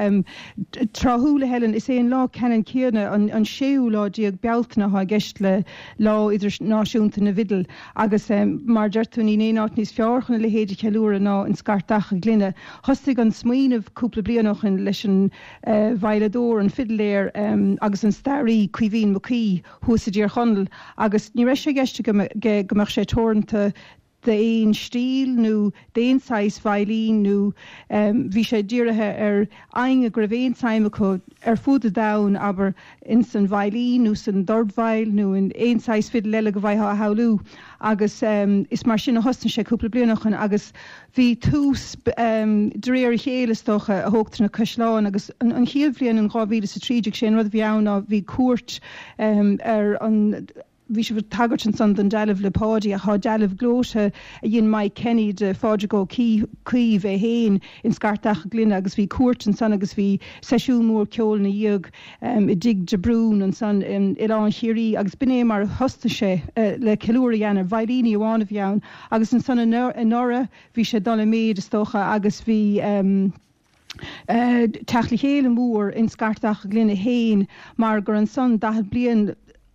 tráthúil, a Helen, is é an lá ceannann céanna, an séú lá déag Bealtaine, atá i gceist le Lá Idirnáisiúnta na bhFidil agus mar a deir tú, níl aon áit níos fearr chun a leithéid a cheiliúradh ná in Scairt Achadh Ghlinne. Thosaigh an smaoineamh cúpla bliain ó shin leis an veidhleadóir, an fidléir agus an staraí Caoimhín Mac Aoidh thuas i dTír Chonaill agus ní raibh sé i gceist aige go mbeadh sé teoranta d'aon stíl nó d'aon saghas veidhlín nó bhí sé dírithe ar éinne go raibh aon tsuim acu ar fud an domhain, abair, ins an veidhlín nó san dordveidhil nó in aon saghas fidil eile go bhfaightheá a shamhlú agus is mar sin a thosnaigh sé cúpla bliain ó shoin agus bhí tús de réir a chéile is dócha a thógtar na caisleáin agus an chéad bhliain in 2013 sé an rud a bhí ann ná bhí cuairt ar an Bhí sibh ag tagairt ansan don dealbh le Páidí ach tá dealbh gleoite a dhein Mike Kenny de Phádraig Ó Caoimh é féin in Scairt Achadh Glinne agus bhí cuairt ansan agus bhí seisiún mór ceoil ina dhiaidh i dTigh de Brún ansan in Oileán Chiarraí agus b'in é mar a thosnaigh sé le ceiliúradh a dhéanamh. Veidhlíní amháin a bhí ann agus ansan anuraidh bhí sé ag dul i méid is dócha agus bhí teacht le chéile mór in Scairt Achadh Glinne féin mar gur ansan 40 bliain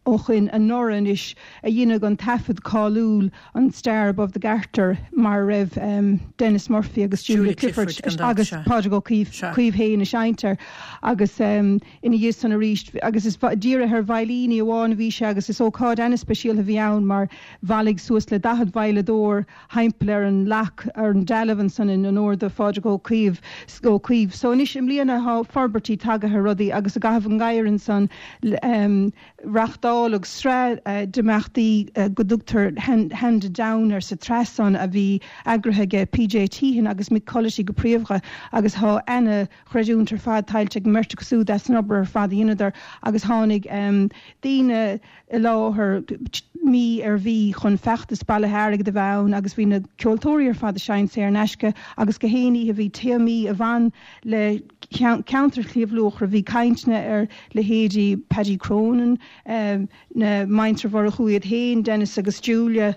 ó shoin anuraidh anois a dheineadh an taifead cáiliúil an Star Above the Garter mar a raibh Denis Murphy agus Julia Clifford agus Pádraig Ó Caoimh féin ag seinnt air agus ina dhiaidh san arís agus is dírithe ar veidhlíní amháin a bhí sé agus is ócáid ana-speisialta a bhí ann mar bhailigh suas le 40 veidhleadóir thimpeall ar an leac, ar an dealbh ansan in onóir do Phádraig Ó Caoimh, Ó Caoimh. So anois i mbliana thá forbairtí tagaithe ar rudaí agus i gcaitheamh an gheimhridh ansan reachtáladh. Reáchtáladh sraith d'imeachtaí go dtugtar Handed Down air sa tsraith san a bhí eagraithe aige PJ Teehan agus Mick Culloty go príomha agus thá ana chreidiúint ar fad tuillte ag an mbeirt acu súd as an obair ar fad a dheineadar agus tháinig daoine i láthair mí ar mhí chun feachtas bailithe airgid a bheith ann agus bhí na ceoltóirí ar fad ag seinnt saor in aisce agus gach aon oíche bhí téamaí a bhain le ceantar Shliabh Luachra, bhí cainteanna ar leithéidí Paddy Cronin, na Muintir Mhurchú iad féin, Denis agus Julia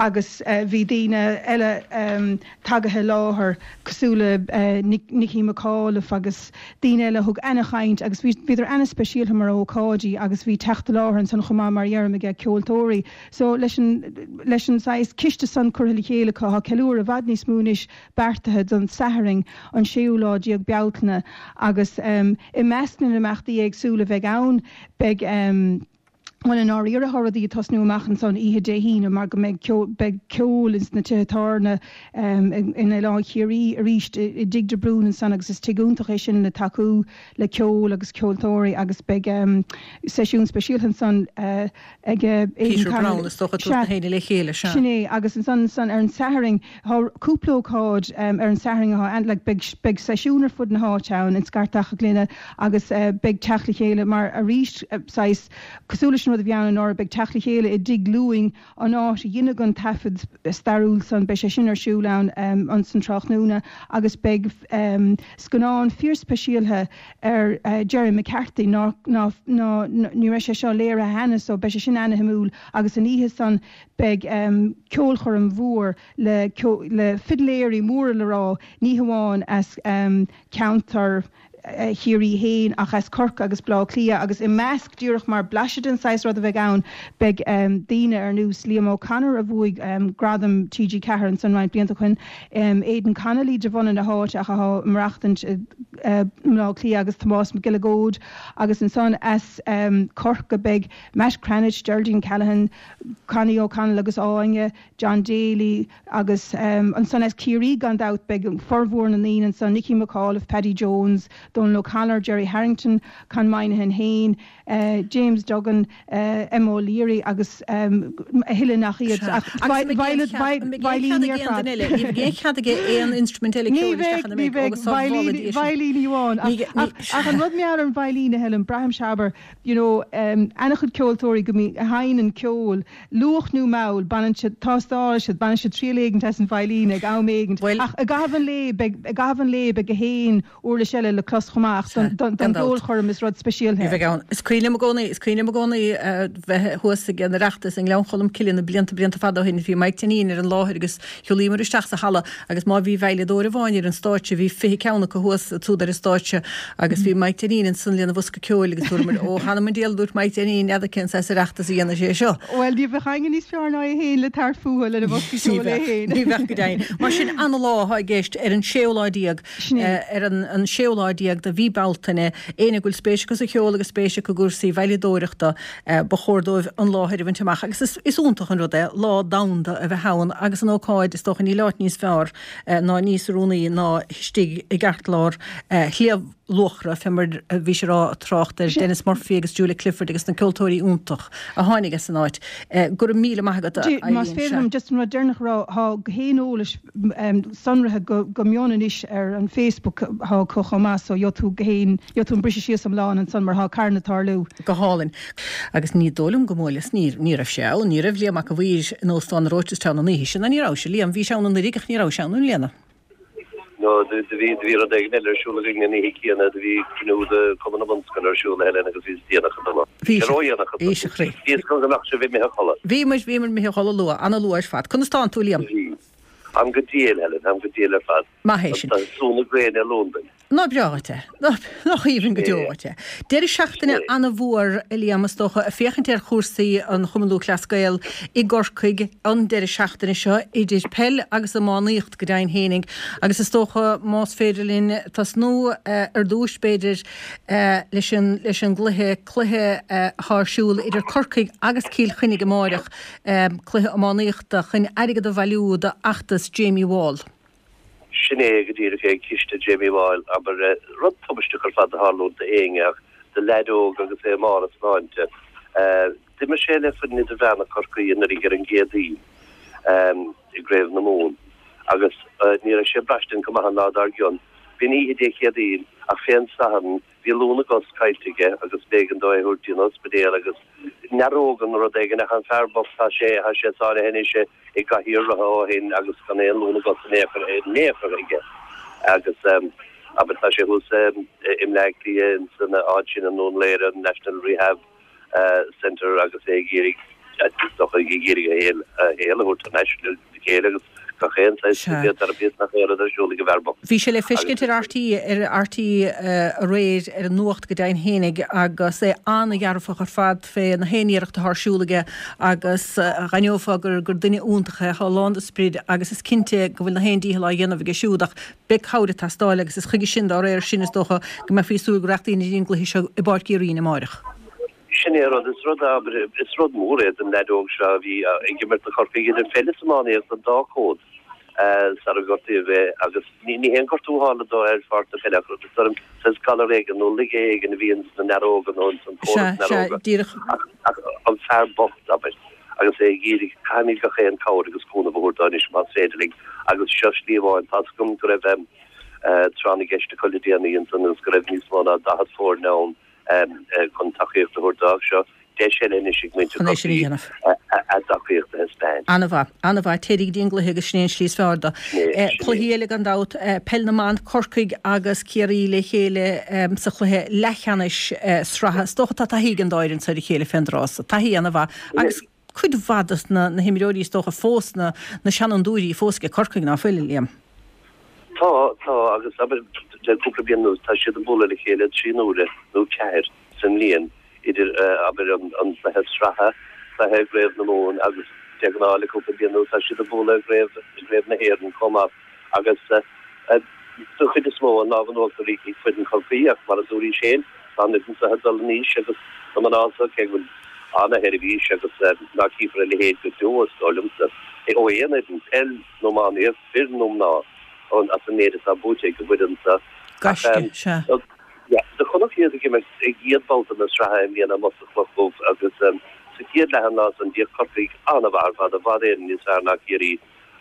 agus bhí daoine eile tagaithe i láthair cosúil le Nicky McAuliffe agus daoine eile a thug ana-chaint agus bhíodar ana-speisialta mar ócáidí agus bhí teacht i láthair ansan chomh maith mar a dheirim aige ceoltóirí. So leis an leis an saghas ciste san curtha le chéile acu tá ceiliúradh i bhfad níos mó anois beartaithe don Satharn an séú lá déag Bealtaine agus i measc na n-imeachtaí éagsúla a bheidh ann beidh bhuel i ndáiríre tá rudaí ag tosnú amach ansan oíche Dé hAoine mar go mbeidh ceol beidh ceol ins na tithe tábhairne in Oileán Chiarraí arís i dTigh de Brún ansan agus is tigh iontach é sin le tacú le ceol agus ceoltóirí agus beidh seisiún speisialta ansan ag Aidan Peter Browne is dócha tabhairt na héinne le chéile, sea. Sin é agus ansan ansan ar an Satharn Tá cúpla ócáid ar an Satharn atá like beidh beidh seisiún ar fud na háite ann in Scartach a' Ghlinne agus beidh teacht le chéile mar arís saghas cosúil leis an rud a bhí ann anuraidh beidh teacht le chéile i dTigh Lúing an áit a dheineadh an taifead stairiúil san beidh sé sin ar siúl ann ansan tráthnóna agus beidh scannán fíorspeisialtha ar Gerry McCarthy ná ná ná ní raibh sé seo léirithe cheana so beidh sé sin ana-shuimiúil agus an oíche san Beidh ceolchoirm mhór le le fidléirí móra le rá, ní hamháin as ceantar Chiarraí féin ach as Corcaigh agus Baile Átha Cliath agus i measc, díreach mar blaiseadh den saghas rud a bheidh ann, beidh daoine ar nós Liam O'Connor a bhuaigh gradam TG4 ansan roinnt blianta ó shin, Aidan Connolly de bhunadh na háite ach atá ag maireachtaint i mBaile Átha Cliath agus Tomás Mac Giolla Góid agus ansan as Corcaigh beidh Matt Cranitch, Geraldine Callaghan, Connie O'Connell agus Áine, John Daly agus ansan as Ciarraí gan dabht beidh formhór na ndaoine ansan, Nicky McAuliffe, Paddy Jones, Donal O'Connor, Gerry Harrington, Con Moynihan féin, James Duggan, Emma O'Leary agus a thuilleadh nach iad ach veidhlíní ar fad. Ní bheidh aon chead aige aon instrument eile ceoil isteach ina mbeidh agus tá veidhlíní amháin ach an rud mar gheall ar an veidhlín a Helen, braithimse abair you know ana-chuid ceoltóirí go mbíonn, a sheinneann ceol, luath nó mall, baineann siad, tástálann siad, baineann siad triail éigint as an veidhlín ag am éigint. Bhuel. Ach i gcaitheamh an lae beidh, i gcaitheamh an lae beidh gach aon uirlis eile le clos chomh maith ach don, don gceolchoirm is rud speisialta é. Bheidh ann. Is cuimhin liom i gcónaí, is cuimhin liom i gcónaí bheith thuas ag an Oireachtas i nGleann Cholm Cille na blianta, blianta fada ó shin. Bhí Mike Deneen ar an láthair agus Shiúlaíomar isteach sa halla agus má bhí veidhleadóir amháin ar an stáitse bhí 20 ceann acu thuas ansúd ar an stáitse agus bhí Mike Deneen ansan lena bhosca ceoil agus dúramar Ó th'anam 'on diabhal a dúirt Mike Deneen n'fheadar cén saghas Oireachtas a dhéanfaidh sé seo. Bhuel ní bheadh éinne níos fearr ná é féin le tabhairt fúthu lena bhosca ceoil é féin. Ní bheadh go deimhin. Mar sin ana-lá atá i gceist ar an séú lá déag ar an séú lá déag de mhí Bealtaine. Éinne go bhfuil spéis acu sa cheol agus spéis acu i gcúrsaí veidhleadóireachta, ba chóir dóibh an láthair a bhaint amach agus is iontach an rud é lá domhanda a bheith ann agus an ócáid, is dócha, níl áit níos fearr ná níos oiriúnaí ná istigh i gceartlár Shliabh Luachra, fé mar a bhís ag rá ag trácht ar Denis Murphy agus Julia Clifford agus na ceoltóirí iontach a tháinig as an áit. Go raibh míle maith agat, a Eileen. Más féidir liom just an rud deireanach a rá, tá gach aon eolais sonraithe go mion anois ar an Facebook atá acu chomh maith so gheobhaidh tú gach aon, gheobhaidh tú an briseadh síos iomlán ansan mar tá carn ag tarlú. Go hálainn. Agus ní dóigh liom go mbuaileas, ní, ní raibh sé ann, ní raibh Liam Mac a' Mhaoir in Óstán na Rochestown an oíche sin, ná ní raibh sé, Liam, bhís ann anuraidh ach ní rabhais ann i mbliana. No, do bhí, do bhí rud éigin eile ar siúl againn an oíche chéanna, do bhí cruinniú de Chumann na Bunscoile ar siúl, a Helen, agus bhíos déanach ag dul ann. Bhí sé ródhéanach ag dul. Bhí sé, a chroí. Bhí fhios agam go mbeadh sibh imithe a chodladh. Bhí muid, bhíomar imithe a chodladh luath, ana-luath ar fad. Conas tánn tú, Liam? Bhí. Táim go diail, Helen, táim go diail ar fad. Maith é sin. Tá sú na gréine ar Londain. Nach breá dhuit é. Nach aoibhinn go deo dhuit é. Deireadh seachtaine ana-mhór, a Liam, is dócha, ag féachaint ar chúrsaí an Chumann Lúthchleas Gael i gCorcaigh an deireadh seachtaine seo, idir peil agus iománaíocht go deimhin fhéinig. Agus is dócha, más féidir linn tosnú ar dtúis, b'fhéidir, leis an, leis an gcluiche, cluiche atá ar siúl idir Corcaigh agus Cill Chainnigh amáireach, cluiche iománaíochta chun airgead a bhailiú d'fheachtas Jamie Wall. Sin é go díreach é, ciste Jamie Wall, abair. Rud tubaisteach ar fad a tharlúint d'éinne ach do leaid óg agus é i mbarr a sláinte. D'imir sé le foireann idirmheánach Chorcaí anuraidh ar an gCéadaoin i gCraobh na Mumhan agus ní raibh sé ag braistint go maith an lá dár gcionn. B'in oíche Dé Céadaoin ach fén Satharn bhí lúth na gcos caillte aige agus b'éigean dó é a thabhairt dtí an ospidéal agus nearóga nó rud éigin ach an fear bocht tá sé tá sé sáinnithe anois i gcathaoir rotha ó shin agus gan aon lúth na gcos in aon chor in aon chor aige agus abair tá sé thuas i mBleá Cliath ins an áit sin i nDún Laoghaire, an National Rehab Centre agus é ag iarraidh is dócha ag iarraidh a shaol a shaol a thabhairt thar n-ais le chéile agus gach aon saghas physiotherapy is nach aon rud ar siúl ag an bhfear bocht. Bhí sé le feiscint ar RTÉ ar RTÉ aréir ar an nuacht go deimhin fhéinig agus é an-dhearfach ar fad fé na haon iarracht atá ar siúl aige agus dh'aithneofá gur gur duine iontach é, atá lán de sprid agus is cinnte go bhfuil na haon dícheall á dhéanamh aige siúd ach beidh cabhair ag teastáil agus is chuige sin dá réir sin is dócha go mbeifí ag súil go rachadh daoine dtí an gcluiche seo i bPáirc Uí Rinn amáireach. Sin é an rud, is rud, abair, is rud mór é don leaid óg seo a bhí ag imirt do Chorcaigh idir pheil is iománaíocht an dá chód sara gortaíodh é agus ní haon gortú a tharla dó ar pháirc na peile ach is dóigh liom saghas galar éigin nó laige éigin a bhí ins na nearóga nó ins an córas nearóga. Ach an fear bocht, abair, agus é ag iarraidh, caithfimid gach aon cabhair agus cúnamh a thabhairt dó anois más féidir linn agus seo slí amháin. Tá's agam go raibh tráth na gceist acu le déanaí ansan agus go raibh níos mó ná 40 foirne ann chun tacaíocht a thabhairt dó ach seo deis eile anois ag muintir Chun é sin a Chorcaí dhéanamh. a dtacaíocht a thaispeáint. An-mhaith. An-mhaith. Téirí go dtí an gcluiche agus sin é an slí is fearr dó. Sin é, sin é. Cluichí eile gan dabht, Peil na mBan, Corcaigh agus Ciarraí le chéile sa chluiche leathcheannais sraithe. Is dócha tá taithí ag an dá fhoireann seo ar a chéile fén dtráth so. Taithí an-mhaith agus cuid mhaith dos na himreoirí is dócha fós, na seanfhondúirí fós ag Corcaigh, ná fuil, Liam? Tá, tá, agus abair le cúpla bliain anuas tá siad ag bualadh le chéile 3 n-uaire nó 4 sa mbliain idir abair an cluiche sraithe, cluiche i gCraobh na Mumhan agus de ghnáth le cúpla bliain anuas tá siad ag bualadh i gCraobh, i gCraobh na hÉireann chomh maith agus den chuid is mó an lámh in uachtar ag foireann Chorcaí ach mar a dúraís féin tá an fhoireann seo ag dul in aois agus na mná seo cé go bhfuil ana-sheirbhís agus ná cífear a leithéid go deo is dóigh liomsa ó aon fhoireann, peil nó iománaíocht, fir nó mná, as an méid atá buaite ag an bhfoireann seo. Gaisce, sea. Do chonac iad ag imirt i gcéad babhta na sraithe i mbliana amuigh sa Chloch Dhubh agus sa chéad leath an lá san d'fhéach Corcaigh an-mhaith ar fad, i bhfad Éireann níos fearr ná Ciarraí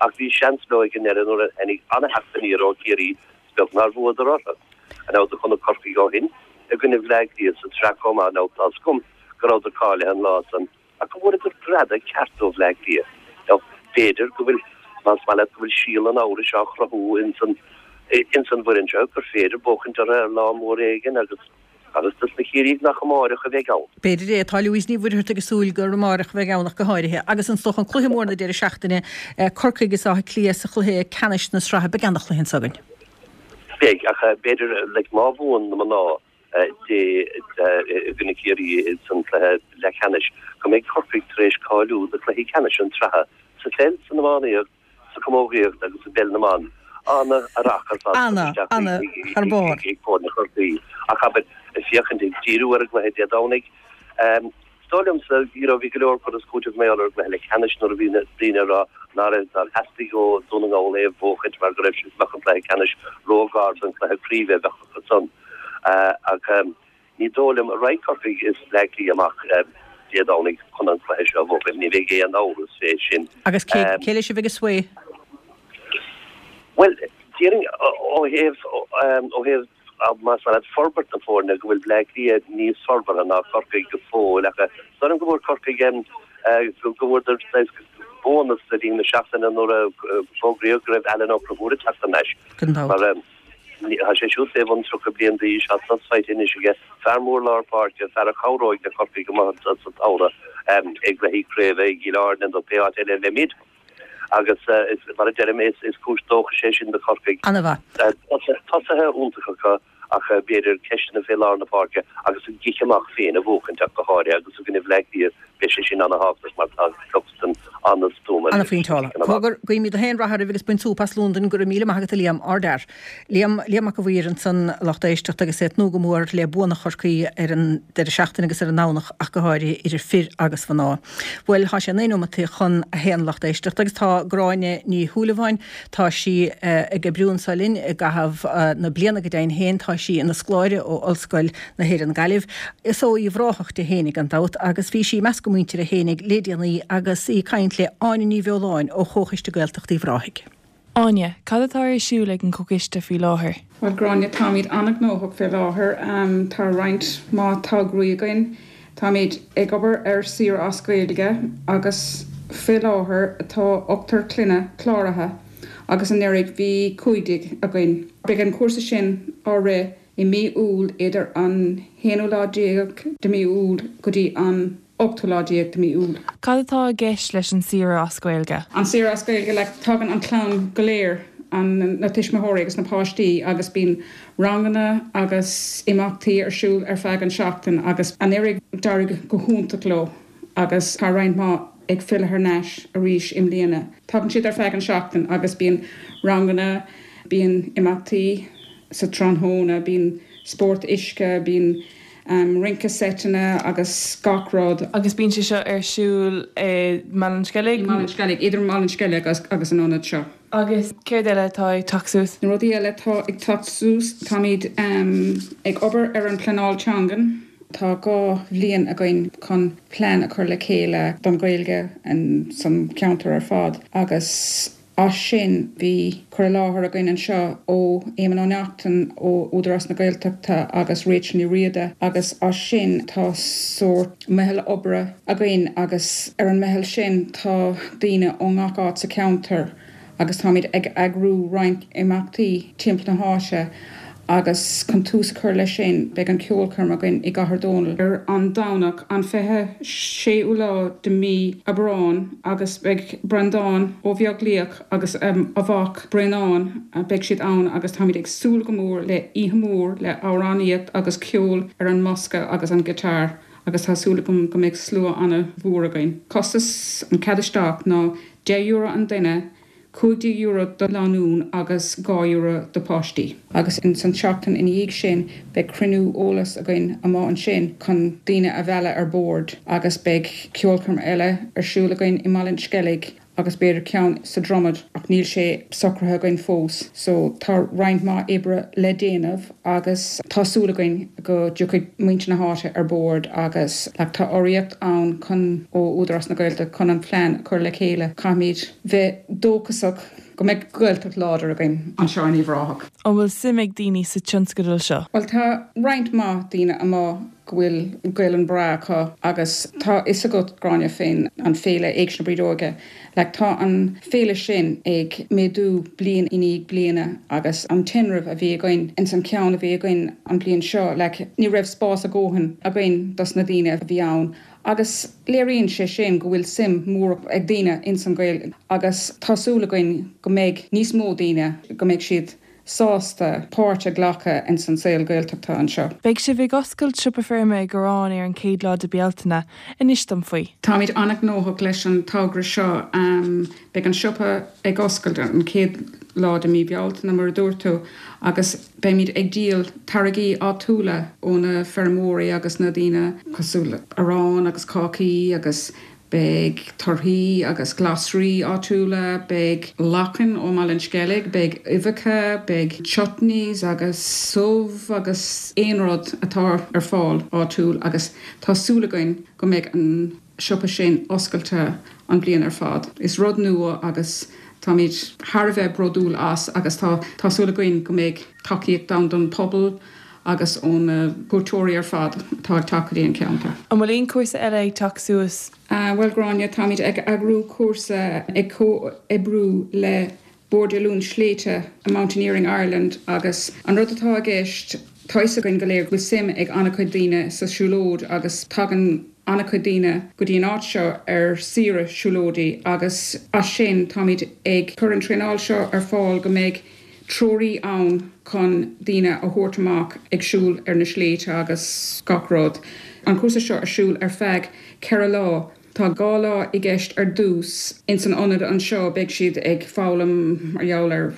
ach bhí seans leo ag an ndeireadh nuair a tháinig an-theacht aniar ó Chiarraí is beag nár bhuadar orthu. Now do chonac Corcaigh ó shin i gcoinne Bhleá Cliath sa tsraith chomh maith now tá's agam go rabhadar cáilithe an lá san Ach go bhfuaireadar greadadh ceart ó Bhleá Cliath. Now, b'fhéidir go bhfuil, más maith leat, go bhfuil síol an amhrais á chruthú ins an, ins an bhfoireann seo gur féidir buachaint orthu ar lá mór éigin agus, agus dos na Ciarraígh nach amáireach a bheidh ann. B'fhéidir é. Tá Louise Ní Mhuircheartaigh ag súil gur amáireach a bheidh ann ach go háirithe. Agus is dócha an cluiche mór na deireadh seachtaine, Corcaigh is Áth Cliath sa chluiche ceannais na sraithe. Beidh ana-chluiche anso againn. Beidh, ach b'fhéidir, like, má bhuann na mná, Dé i gcoinne Ciarraí san cluiche leathcheannais, go mbeidh Corcaigh tar éis cáiliú do chluichí ceannais an tsraithe sa pheil, san iománaíocht, sa chamógaíocht agus i bpeil na mban. Ana-rath ar fad curtha isteach ag foirne Chorcaí. Ach abair, ag féachaint, ag díriú ar an gcluiche Dé Domhnaigh, Is dóigh liomsa, you know, bhí go leor cur is cúiteamh mar gheall ar an gcluiche leathcheannais nuair a bhí na daoine ag rá ná raibh, nár theastaigh ó Dún na nGall é a bhuachaint mar go raibh siad, bheadh an cluiche ceannais ró-ghar don chluiche craoibhe a bheadh acu san. Ach ní dóigh liom a raghaidh Corcaigh is Bleá Cliath amach Dé Domhnaigh chun an cluiche seo a bhuachaint, ní bheidh aon amhras fé sin. Agus cé, cé leis a bheidh ag sway? Bhuel, déarfainn ó thaobh, ó thaobh, Más maith leat forbairt na foirne, go bhfuil Bleá Cliath níos forbartha ná Corcaigh go fóill ach is dóigh liom go bhfuair Corcaigh go bhfuaireadar saghas bónas le linn na seachtaine nuair a fógraíodh go raibh Alan Ó Conchúir ag teacht thar n-ais. Mar tá sé siúd fé bhun 30 bliain d'aois, tá sos faighte anois aige, fear mór lár páirce, fear a chabhróidh le Corcaigh amuigh anseo sa tsamhradh i gcluichí craoibhe i gCill Airne nó pé áit eile a bheimid. Agus is, mar a deirim, is cúis dóchais é sin do Chorcaigh. An-mhaith. Tosaithe iontacha acu ach b'fhéidir ceisteanna fé lár na páirce agus an cic amach féin a bhuachaint ach go háirithe agus i gcoinne Bhleá Cliath. Beidh sé sin ana-thábhachtach mar tá Cluxton an-stuama anois. Ana-phointeála. Cogar, guímid gach aon rath oraibh agus bain súp as Londain. Go raibh míle maith agat a Liam, ardfhear. Liam, Liam Mac a' Mhaoir ansan, a lucht éisteachta agus é ag tnúth go mór le buanna Chorcaí ar an deireadh seachtaine agus ar an nDomhnach ach go háirithe idir fir agus mhná. Bhuel, tá sé 9 nóimeataí chun a haon a lucht éisteachta agus tá Gráinne Ní Shúilleabháin, tá sí ag oibriú anso linn i gcaitheamh na bliana go deimhin féin, tá sí ina scoláire ó Ollscoil na hÉireann Gaillimh. Is ó Uíbh Ráthach di fhéinig gan dabht agus bhí sí i measc a muintire fhéinig le déanaí agus í ag caint le Áine Ní Bheoláin ó Chomhchoiste Gaeltachta Uíbh Ráthaigh. Áine, Cad atá ar siúl ag an gComhchoiste faoi láthair? Bhuel Gráinne, táimid an-ghnóthach fé láthair. Tá roinnt mhaith tograí againn. Táimid ag obair ar saoire as Gaeilge agus fé láthair tá ochtar clainne cláraithe agus anuraidh bhí 15 againn. Beidh an cúrsa sin á rith i mí Iúil idir an haonú lá déag de mí Iúil go dtí an ochtú lá déag de mí Iúil. Cad atá i gceist leis an saoire as Gaeilge? An saoire as Gaeilge, like, tagann an chlann go léir, an, na tuismitheoirí agus na páistí agus bíonn ranganna agus imeachtaí ar siúl ar feadh an seachtain agus anuraidh d'éirigh go hiontach leo agus tá roinnt mhaith ag filleadh thar n-ais arís i mbliana. Tagann siad ar feadh an seachtain agus bíonn ranganna, bíonn imeachtaí sa tráthnóna, bíonn spórt uisce, bíonn rince seiteanna agus gach rud. Agus bíonn sé seo ar siúl i mBaile an Sceilg? I mBaile an Sceilg, idir Mbaile an Sceilg agus an ionad seo. Agus céard eile atá ag teacht suas? Na rudaí eile atá ag teacht suas, táimid ag obair ar an pleanáil teangan. Tá 2 bhliain againn chun plean a chur le chéile don Ghaeilge san cheantar ar fad agus as sin bhí cur i láthair againn anseo ó Éamonn Ó Neachtain ó Údarás na Gaeltachta agus Rachel Ní Riada agus as sin tá sórt meitheal oibre againn agus ar an meitheal sin tá daoine ó ngach áit sa cheantar agus táimid ag eagrú roinnt imeachtaí timpeall na háite agus chun tús a chur leis sin beidh an ceolchoirm againn i gCathair Dónall ar an Domhnach an 26ú lá de mí Aibreáin agus beidh Breandán Ó Beaglaoich agus a mhac Braonán beidh siad ann agus táimid ag súil go mór le oíche mhór le amhránaíocht agus ceol ar an mbosca agus an guitar agus tá súil agam go mbeidh slua ana mhór againn. Costas an cead isteach ná €10 an duine, €15 do lánúin agus €2 do páistí. Agus ins an tseachtain ina dhiaidh sin beidh cruinniú eolais againn amuigh ansin chun daoine a mhealladh ar bord agus beidh ceolchoirm eile ar siúl againn i mBaile an Sceilg agus b'fhéidir ceann sa Dromad ach níl sé socraithe againn fós. So tá roinnt mhaith oibre le déanamh agus tá súil againn go dtiocfaidh muintir na háite ar bord agus like tá urraíocht ann chun ó Údarás na Gaeltachta chun an plean a chur le chéile. Caithfimid bheith dóchasach go mbeidh Gaeltacht láidir againn anseo in Uíbh Ráthach. An bhfuil suim ag daoine sa tionscadal seo? Bhuel tá roinnt mhaith daoine amuigh go bhfuil Gaelainn breá acu agus tá fhios agat Gráinne fén an féile Éigse na Brídeoige Like tá an féile sin ag méadú bliain i ndiaidh bliana agus an tinreamh a bhí againn ins an ceann a bhí againn an bliain seo like ní raibh spás a dhóthain againn dos na daoine a bhí ann agus léiríonn sé sin go bhfuil suim mhór ag daoine ins an Ghaeilge agus tá súil againn go mbeidh níos mó daoine go mbeidh siad sásta páirt a ghlacadh ins an saol Gaeltachta anseo. Beidh sibh ag oscailt siopa feirme i gCorrán ar an chéad lá de Bealtaine. Inis dom faoi. Táimid an-ghnóthach leis an togra seo. Beidh an siopa ag oscailt an chéad lá de mí Bealtaine, mar a dúirt tú, agus beimid ag díol táirgí áitiúla ó na feirmeoirí agus na daoine cosúil le arán agus cácaí agus Beidh torthaí agus glasraí áitiúla, beidh lachain ó mBaile an Sceilg, beidh uibheacha, beidh chutneys agus subh agus aon rud atá ar fáil áitiúil agus tá súil againn go mbeidh an siopa sin oscailte an bliain ar fad. Is rud nua agus táimid thar a bheith bródúil as agus tá tá súil againn go mbeidh tacaíocht ann don pobal agus ó na cuairteoirí ar fad atá ag teacht go dtí an ceantar. An bhfuil aon chúrsa eile ag teacht suas? Bhuel Gráinne, táimid ag eagrú cúrsa ag comhoibriú le Bord Oiliúint Sléibhte Mountaineering Ireland agus an rud atá i gceist, tá fhios againn go léir go bhfuil suim ag an-chuid daoine sa siúlóid agus tagann an-chuid daoine go dtí an áit seo ar saoire siúlóidí agus as sin táimid ag cur an traenáil seo ar fáil go mbeidh. treoraí ann chun daoine a thabhairt amach ag siúl ar na sléibhte agus gach rud. An cúrsa seo ar siúl ar feadh 4 lá. Tá 2 lá i gceist ar dtús. Ins an ionad anseo beidh siad ag foghlaim mar gheall ar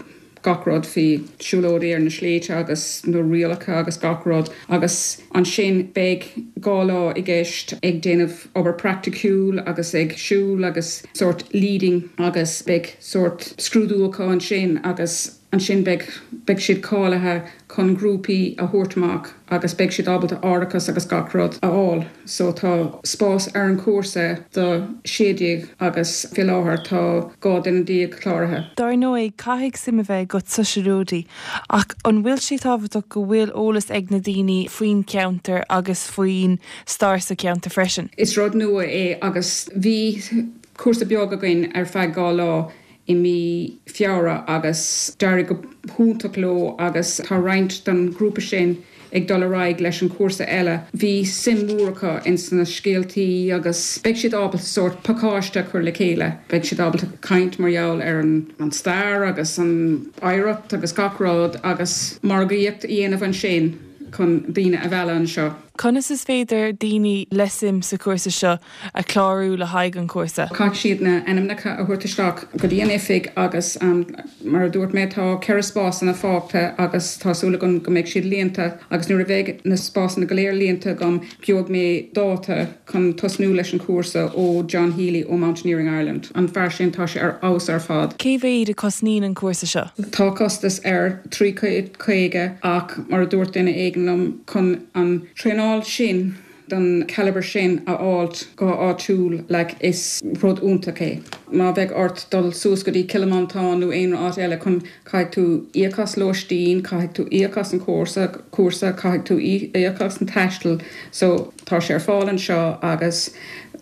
gach rud faoi siúlóidí ar na sléibhte agus na rialacha agus gach rud agus ansin beidh 2 lá i gceist ag déanamh obair praiticiúil agus ag siúl agus sórt leading agus beidh sórt scrúdú acu ansin agus ansin beidh beidh siad cáilithe chun grúpaí a thabhairt amach agus beidh siad ábalta árachas agus gach rud a fháil. So tá spás ar an chúrsa do 16 agus fé láthair tá 12 duine cláraithe. Dar ndóigh, caithfidh suim a bheith agat sa siúlóidí, ach an bhfuil sé tábhachtach go bhfuil eolas ag na daoine faoin cheantar agus faoin stair sa cheantar freisin? Is rud nua é agus bhí cúrsa beag againn ar feadh 2 lá i mí Feabhra agus d'éirigh go hiontach leo agus tá roinnt den ghrúpa sin ag dul ar aghaidh leis an chúrsa eile. Bhí suim mhór acu ins na scéaltaí agus beidh siad ábalta sórt pacáiste a chur le chéile. Beidh siad ábalta caint mar gheall ar an stair agus an oidhreacht agus gach rud agus margaíocht a dhéanamh ansin chun daoine a mhealladh anseo. Conas is féidir daoine le suim sa chúrsa seo a chlárú le haghaidh an chúrsa. Caithfidh siad na ainmneacha a thabhairt isteach go dtí an oifig agus mar a dúirt mé tá 4 spásanna fágtha agus tá súil agam go mbeidh siad líonta agus nuair a bheidh na spásanna go léir líonta agam gheobhaidh mé dáta chun tosnú leis an chúrsa ó John Healy ó Mountaineering Ireland. An fear sin tá sé ar fheabhas ar fad. Cé mhéad a cosnaíonn an cúrsa seo? Tá costas air, 350 ach mar a dúirt duine éigin liom chun an traenáil sin den calibre sin a fháilt go háitiúil like is rud iontach é. Má bheidh ort dul suas go dtí Cill Mhantáin nó aon áit eile chun caithfidh tú íoc as lóistín, caithfidh tú íoc as an chúrsa, cúrsa, caithfidh tú íoc as an taisteal so tá sé ar fáil anseo agus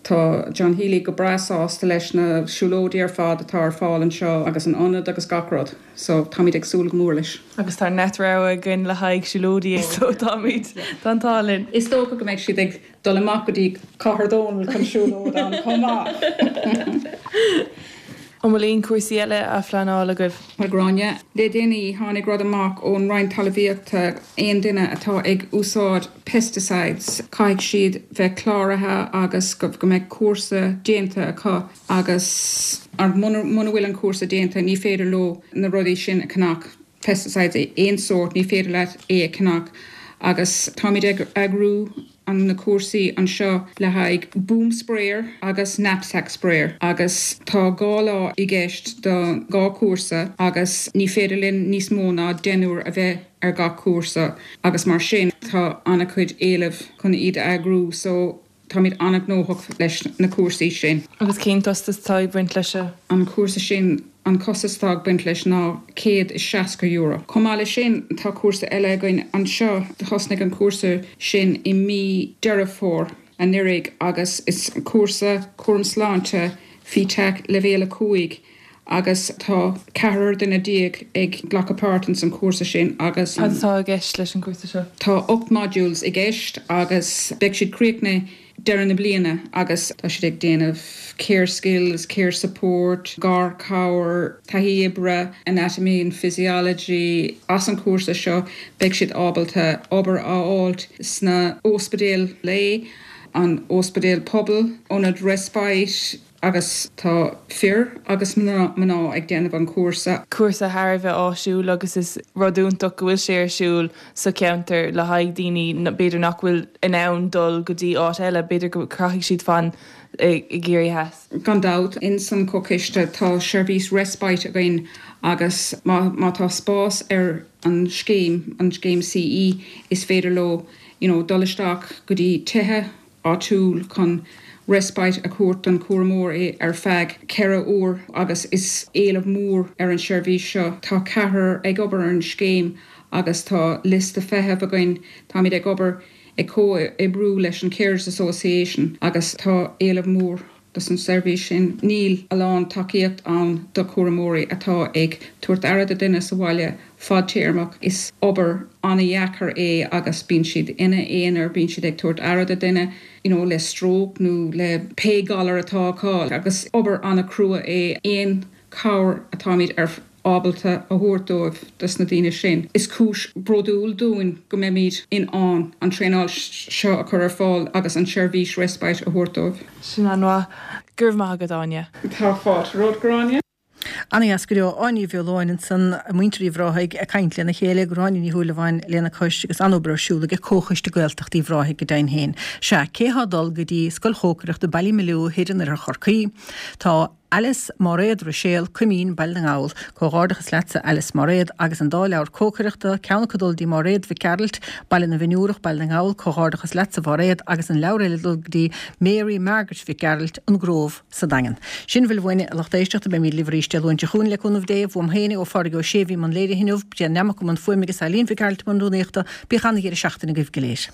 tá John Healy go breá sásta leis na siúlóidí ar fad atá ar fáil anseo agus an ionad agus gach rud. So, táimid ag súil go mór leis. Agus tá neart rogha againn le haghaidh siúlóidí so táimid, tá an t-ádh linn. Is dócha go mbeidh siad ag dul amach go dtí Cathair Dónall chun siúlóid ann chomh maith. An bhfuil aon chúrsaí eile á phleanáil agaibh? Bhuel Gráinne, le déanaí tháinig rud amach ón Roinn Talmhaíochta, aon duine atá ag úsáid pesticides, caithfidh siad bheith cláraithe agus go mbeidh cúrsa déanta acu. agus muna bhfuil an cúrsa déanta ní féidir leo na rudaí sin a cheannach, pesticides aon sórt, ní féidir leat é a cheannach agus táimid ag eagrú an na cúrsaí anseo le haghaidh boom sprayer agus knapsack sprayer agus tá 2 lá i gceist do dhá chúrsa agus ní féidir linn níos mó ná deichniúr a bheith ar gach cúrsa agus mar sin tá an-chuid éileamh chun iad a eagrú so Táimid an-ghnóthach leis na cúrsaí sin. Agus cén costas atá ag baint leis seo? An cúrsa sin, an costas atá ag baint leis ná €160. Chomh maith leis sin, tá cúrsa eile againn anseo. Thosnaigh an cúrsa sin i mí Deireadh Fómhair anuraidh agus is cúrsa cúram sláinte FETAC Leibhéal 5 agus tá ceathrar duine déag ag glacadh páirt ins an chúrsa sin agus. Cad atá i gceist leis an gcúrsa seo? Tá 8 modules i gceist agus beidh siad críochnaithe deireadh na bliana agus tá siad ag déanamh care skills, care support, garchabhair, taithí oibre, anatomy and physiology. As an chúrsa seo beidh siad ábalta obair a fháilt sna ospidéil lae, an ospidéal pobail, ionad respite, Agus tá fir agus mná ag déanamh an chúrsa. Cúrsa thar a bheith áisiúil agus is rud iontach go bhfuil sé ar siúl sa cheantar le haghaidh daoine b'fhéidir nach bhfuil in ann dul go dtí áit eile, b'fhéidir go caithfidh siad fan i gCiarraí Theas. Gan dabht, ins an Chomhchoiste tá seirbhís respite againn agus má má tá spás ar an scéim, an scéim CE, is féidir leo you know dul isteach go dtí tithe áitiúil chun respite a thabhairt don chúramóir ar feadh 4 uair agus is éileamh mór ar an seirbhís seo. Tá ceathrar ag obair ar an scéim agus tá liosta feithimh againn. Táimid ag obair ag comhoibriú leis an Carers Association agus tá éileamh mór dos an seirbhís sin. Níl a lán tacaíocht ann do chúramóirí atá ag tabhairt aire do duine sa bhaile fadtéarmach. Is obair an-dheacair é agus bíonn siad ina aonar, bíonn siad ag tabhairt aire do duine you know le stróc nó le pé galar atá acu agus obair an-chrua é. Aon chabhair atáimid ar. ábalta a thabhairt dóibh, dos na daoine sin. Is cúis bródúil dúinn go mbeimid in ann an traenáil seo a chur ar fáil agus an seirbhís respite a thabhairt dóibh. Sin an-mhaith. Go raibh maith agat, Áine. Tá fáilte romhat, Gráinne. Ana-dheas go deo. Áine Ní Bheoláin ansan, muintir Uíbh Ráthaigh ag caint lena chéile, Gráinne Ní Shúilleabháin lena cois agus an-obair ar siúl aige Comhchoiste Gaeltachta Uíbh Ráthaigh go deimhin féin. Sea, cé thá ag dul go dtí Scoil Chócaireachta Ballymaloe thoir in oirthear Chorcaí? Tá Alice Máiréad Ruiséal, Coimín, Baile na nGall. Comhghairdeachas leatsa Alice Máiréad agus an dá leabhar cócaireachta, ceann acu ag dul dtí Máiréad Mhic Gearailt, Baile na bhFionnúrach, Baile na nGall, Comhghairdeachas leatsa Mháiréad agus an leabhar eile ag dul go dtí Mary Margaret Mhic Gearailt, An Grove. sa Daingean. Sin a bhfuil uainne, a lucht éisteachta, beimid libh arís Dé Luain seo chugainn, le cúnamh Dé. Uaim féin, ó Phádraig Ó Sé a bhí i mbun léirithe inniu, Brian Nammock i mbun fuaime agus Eileen Mhic Gearailt i mbun rúnaíochta. Bíodh an-dheireadh seachtaine agaibh go léir.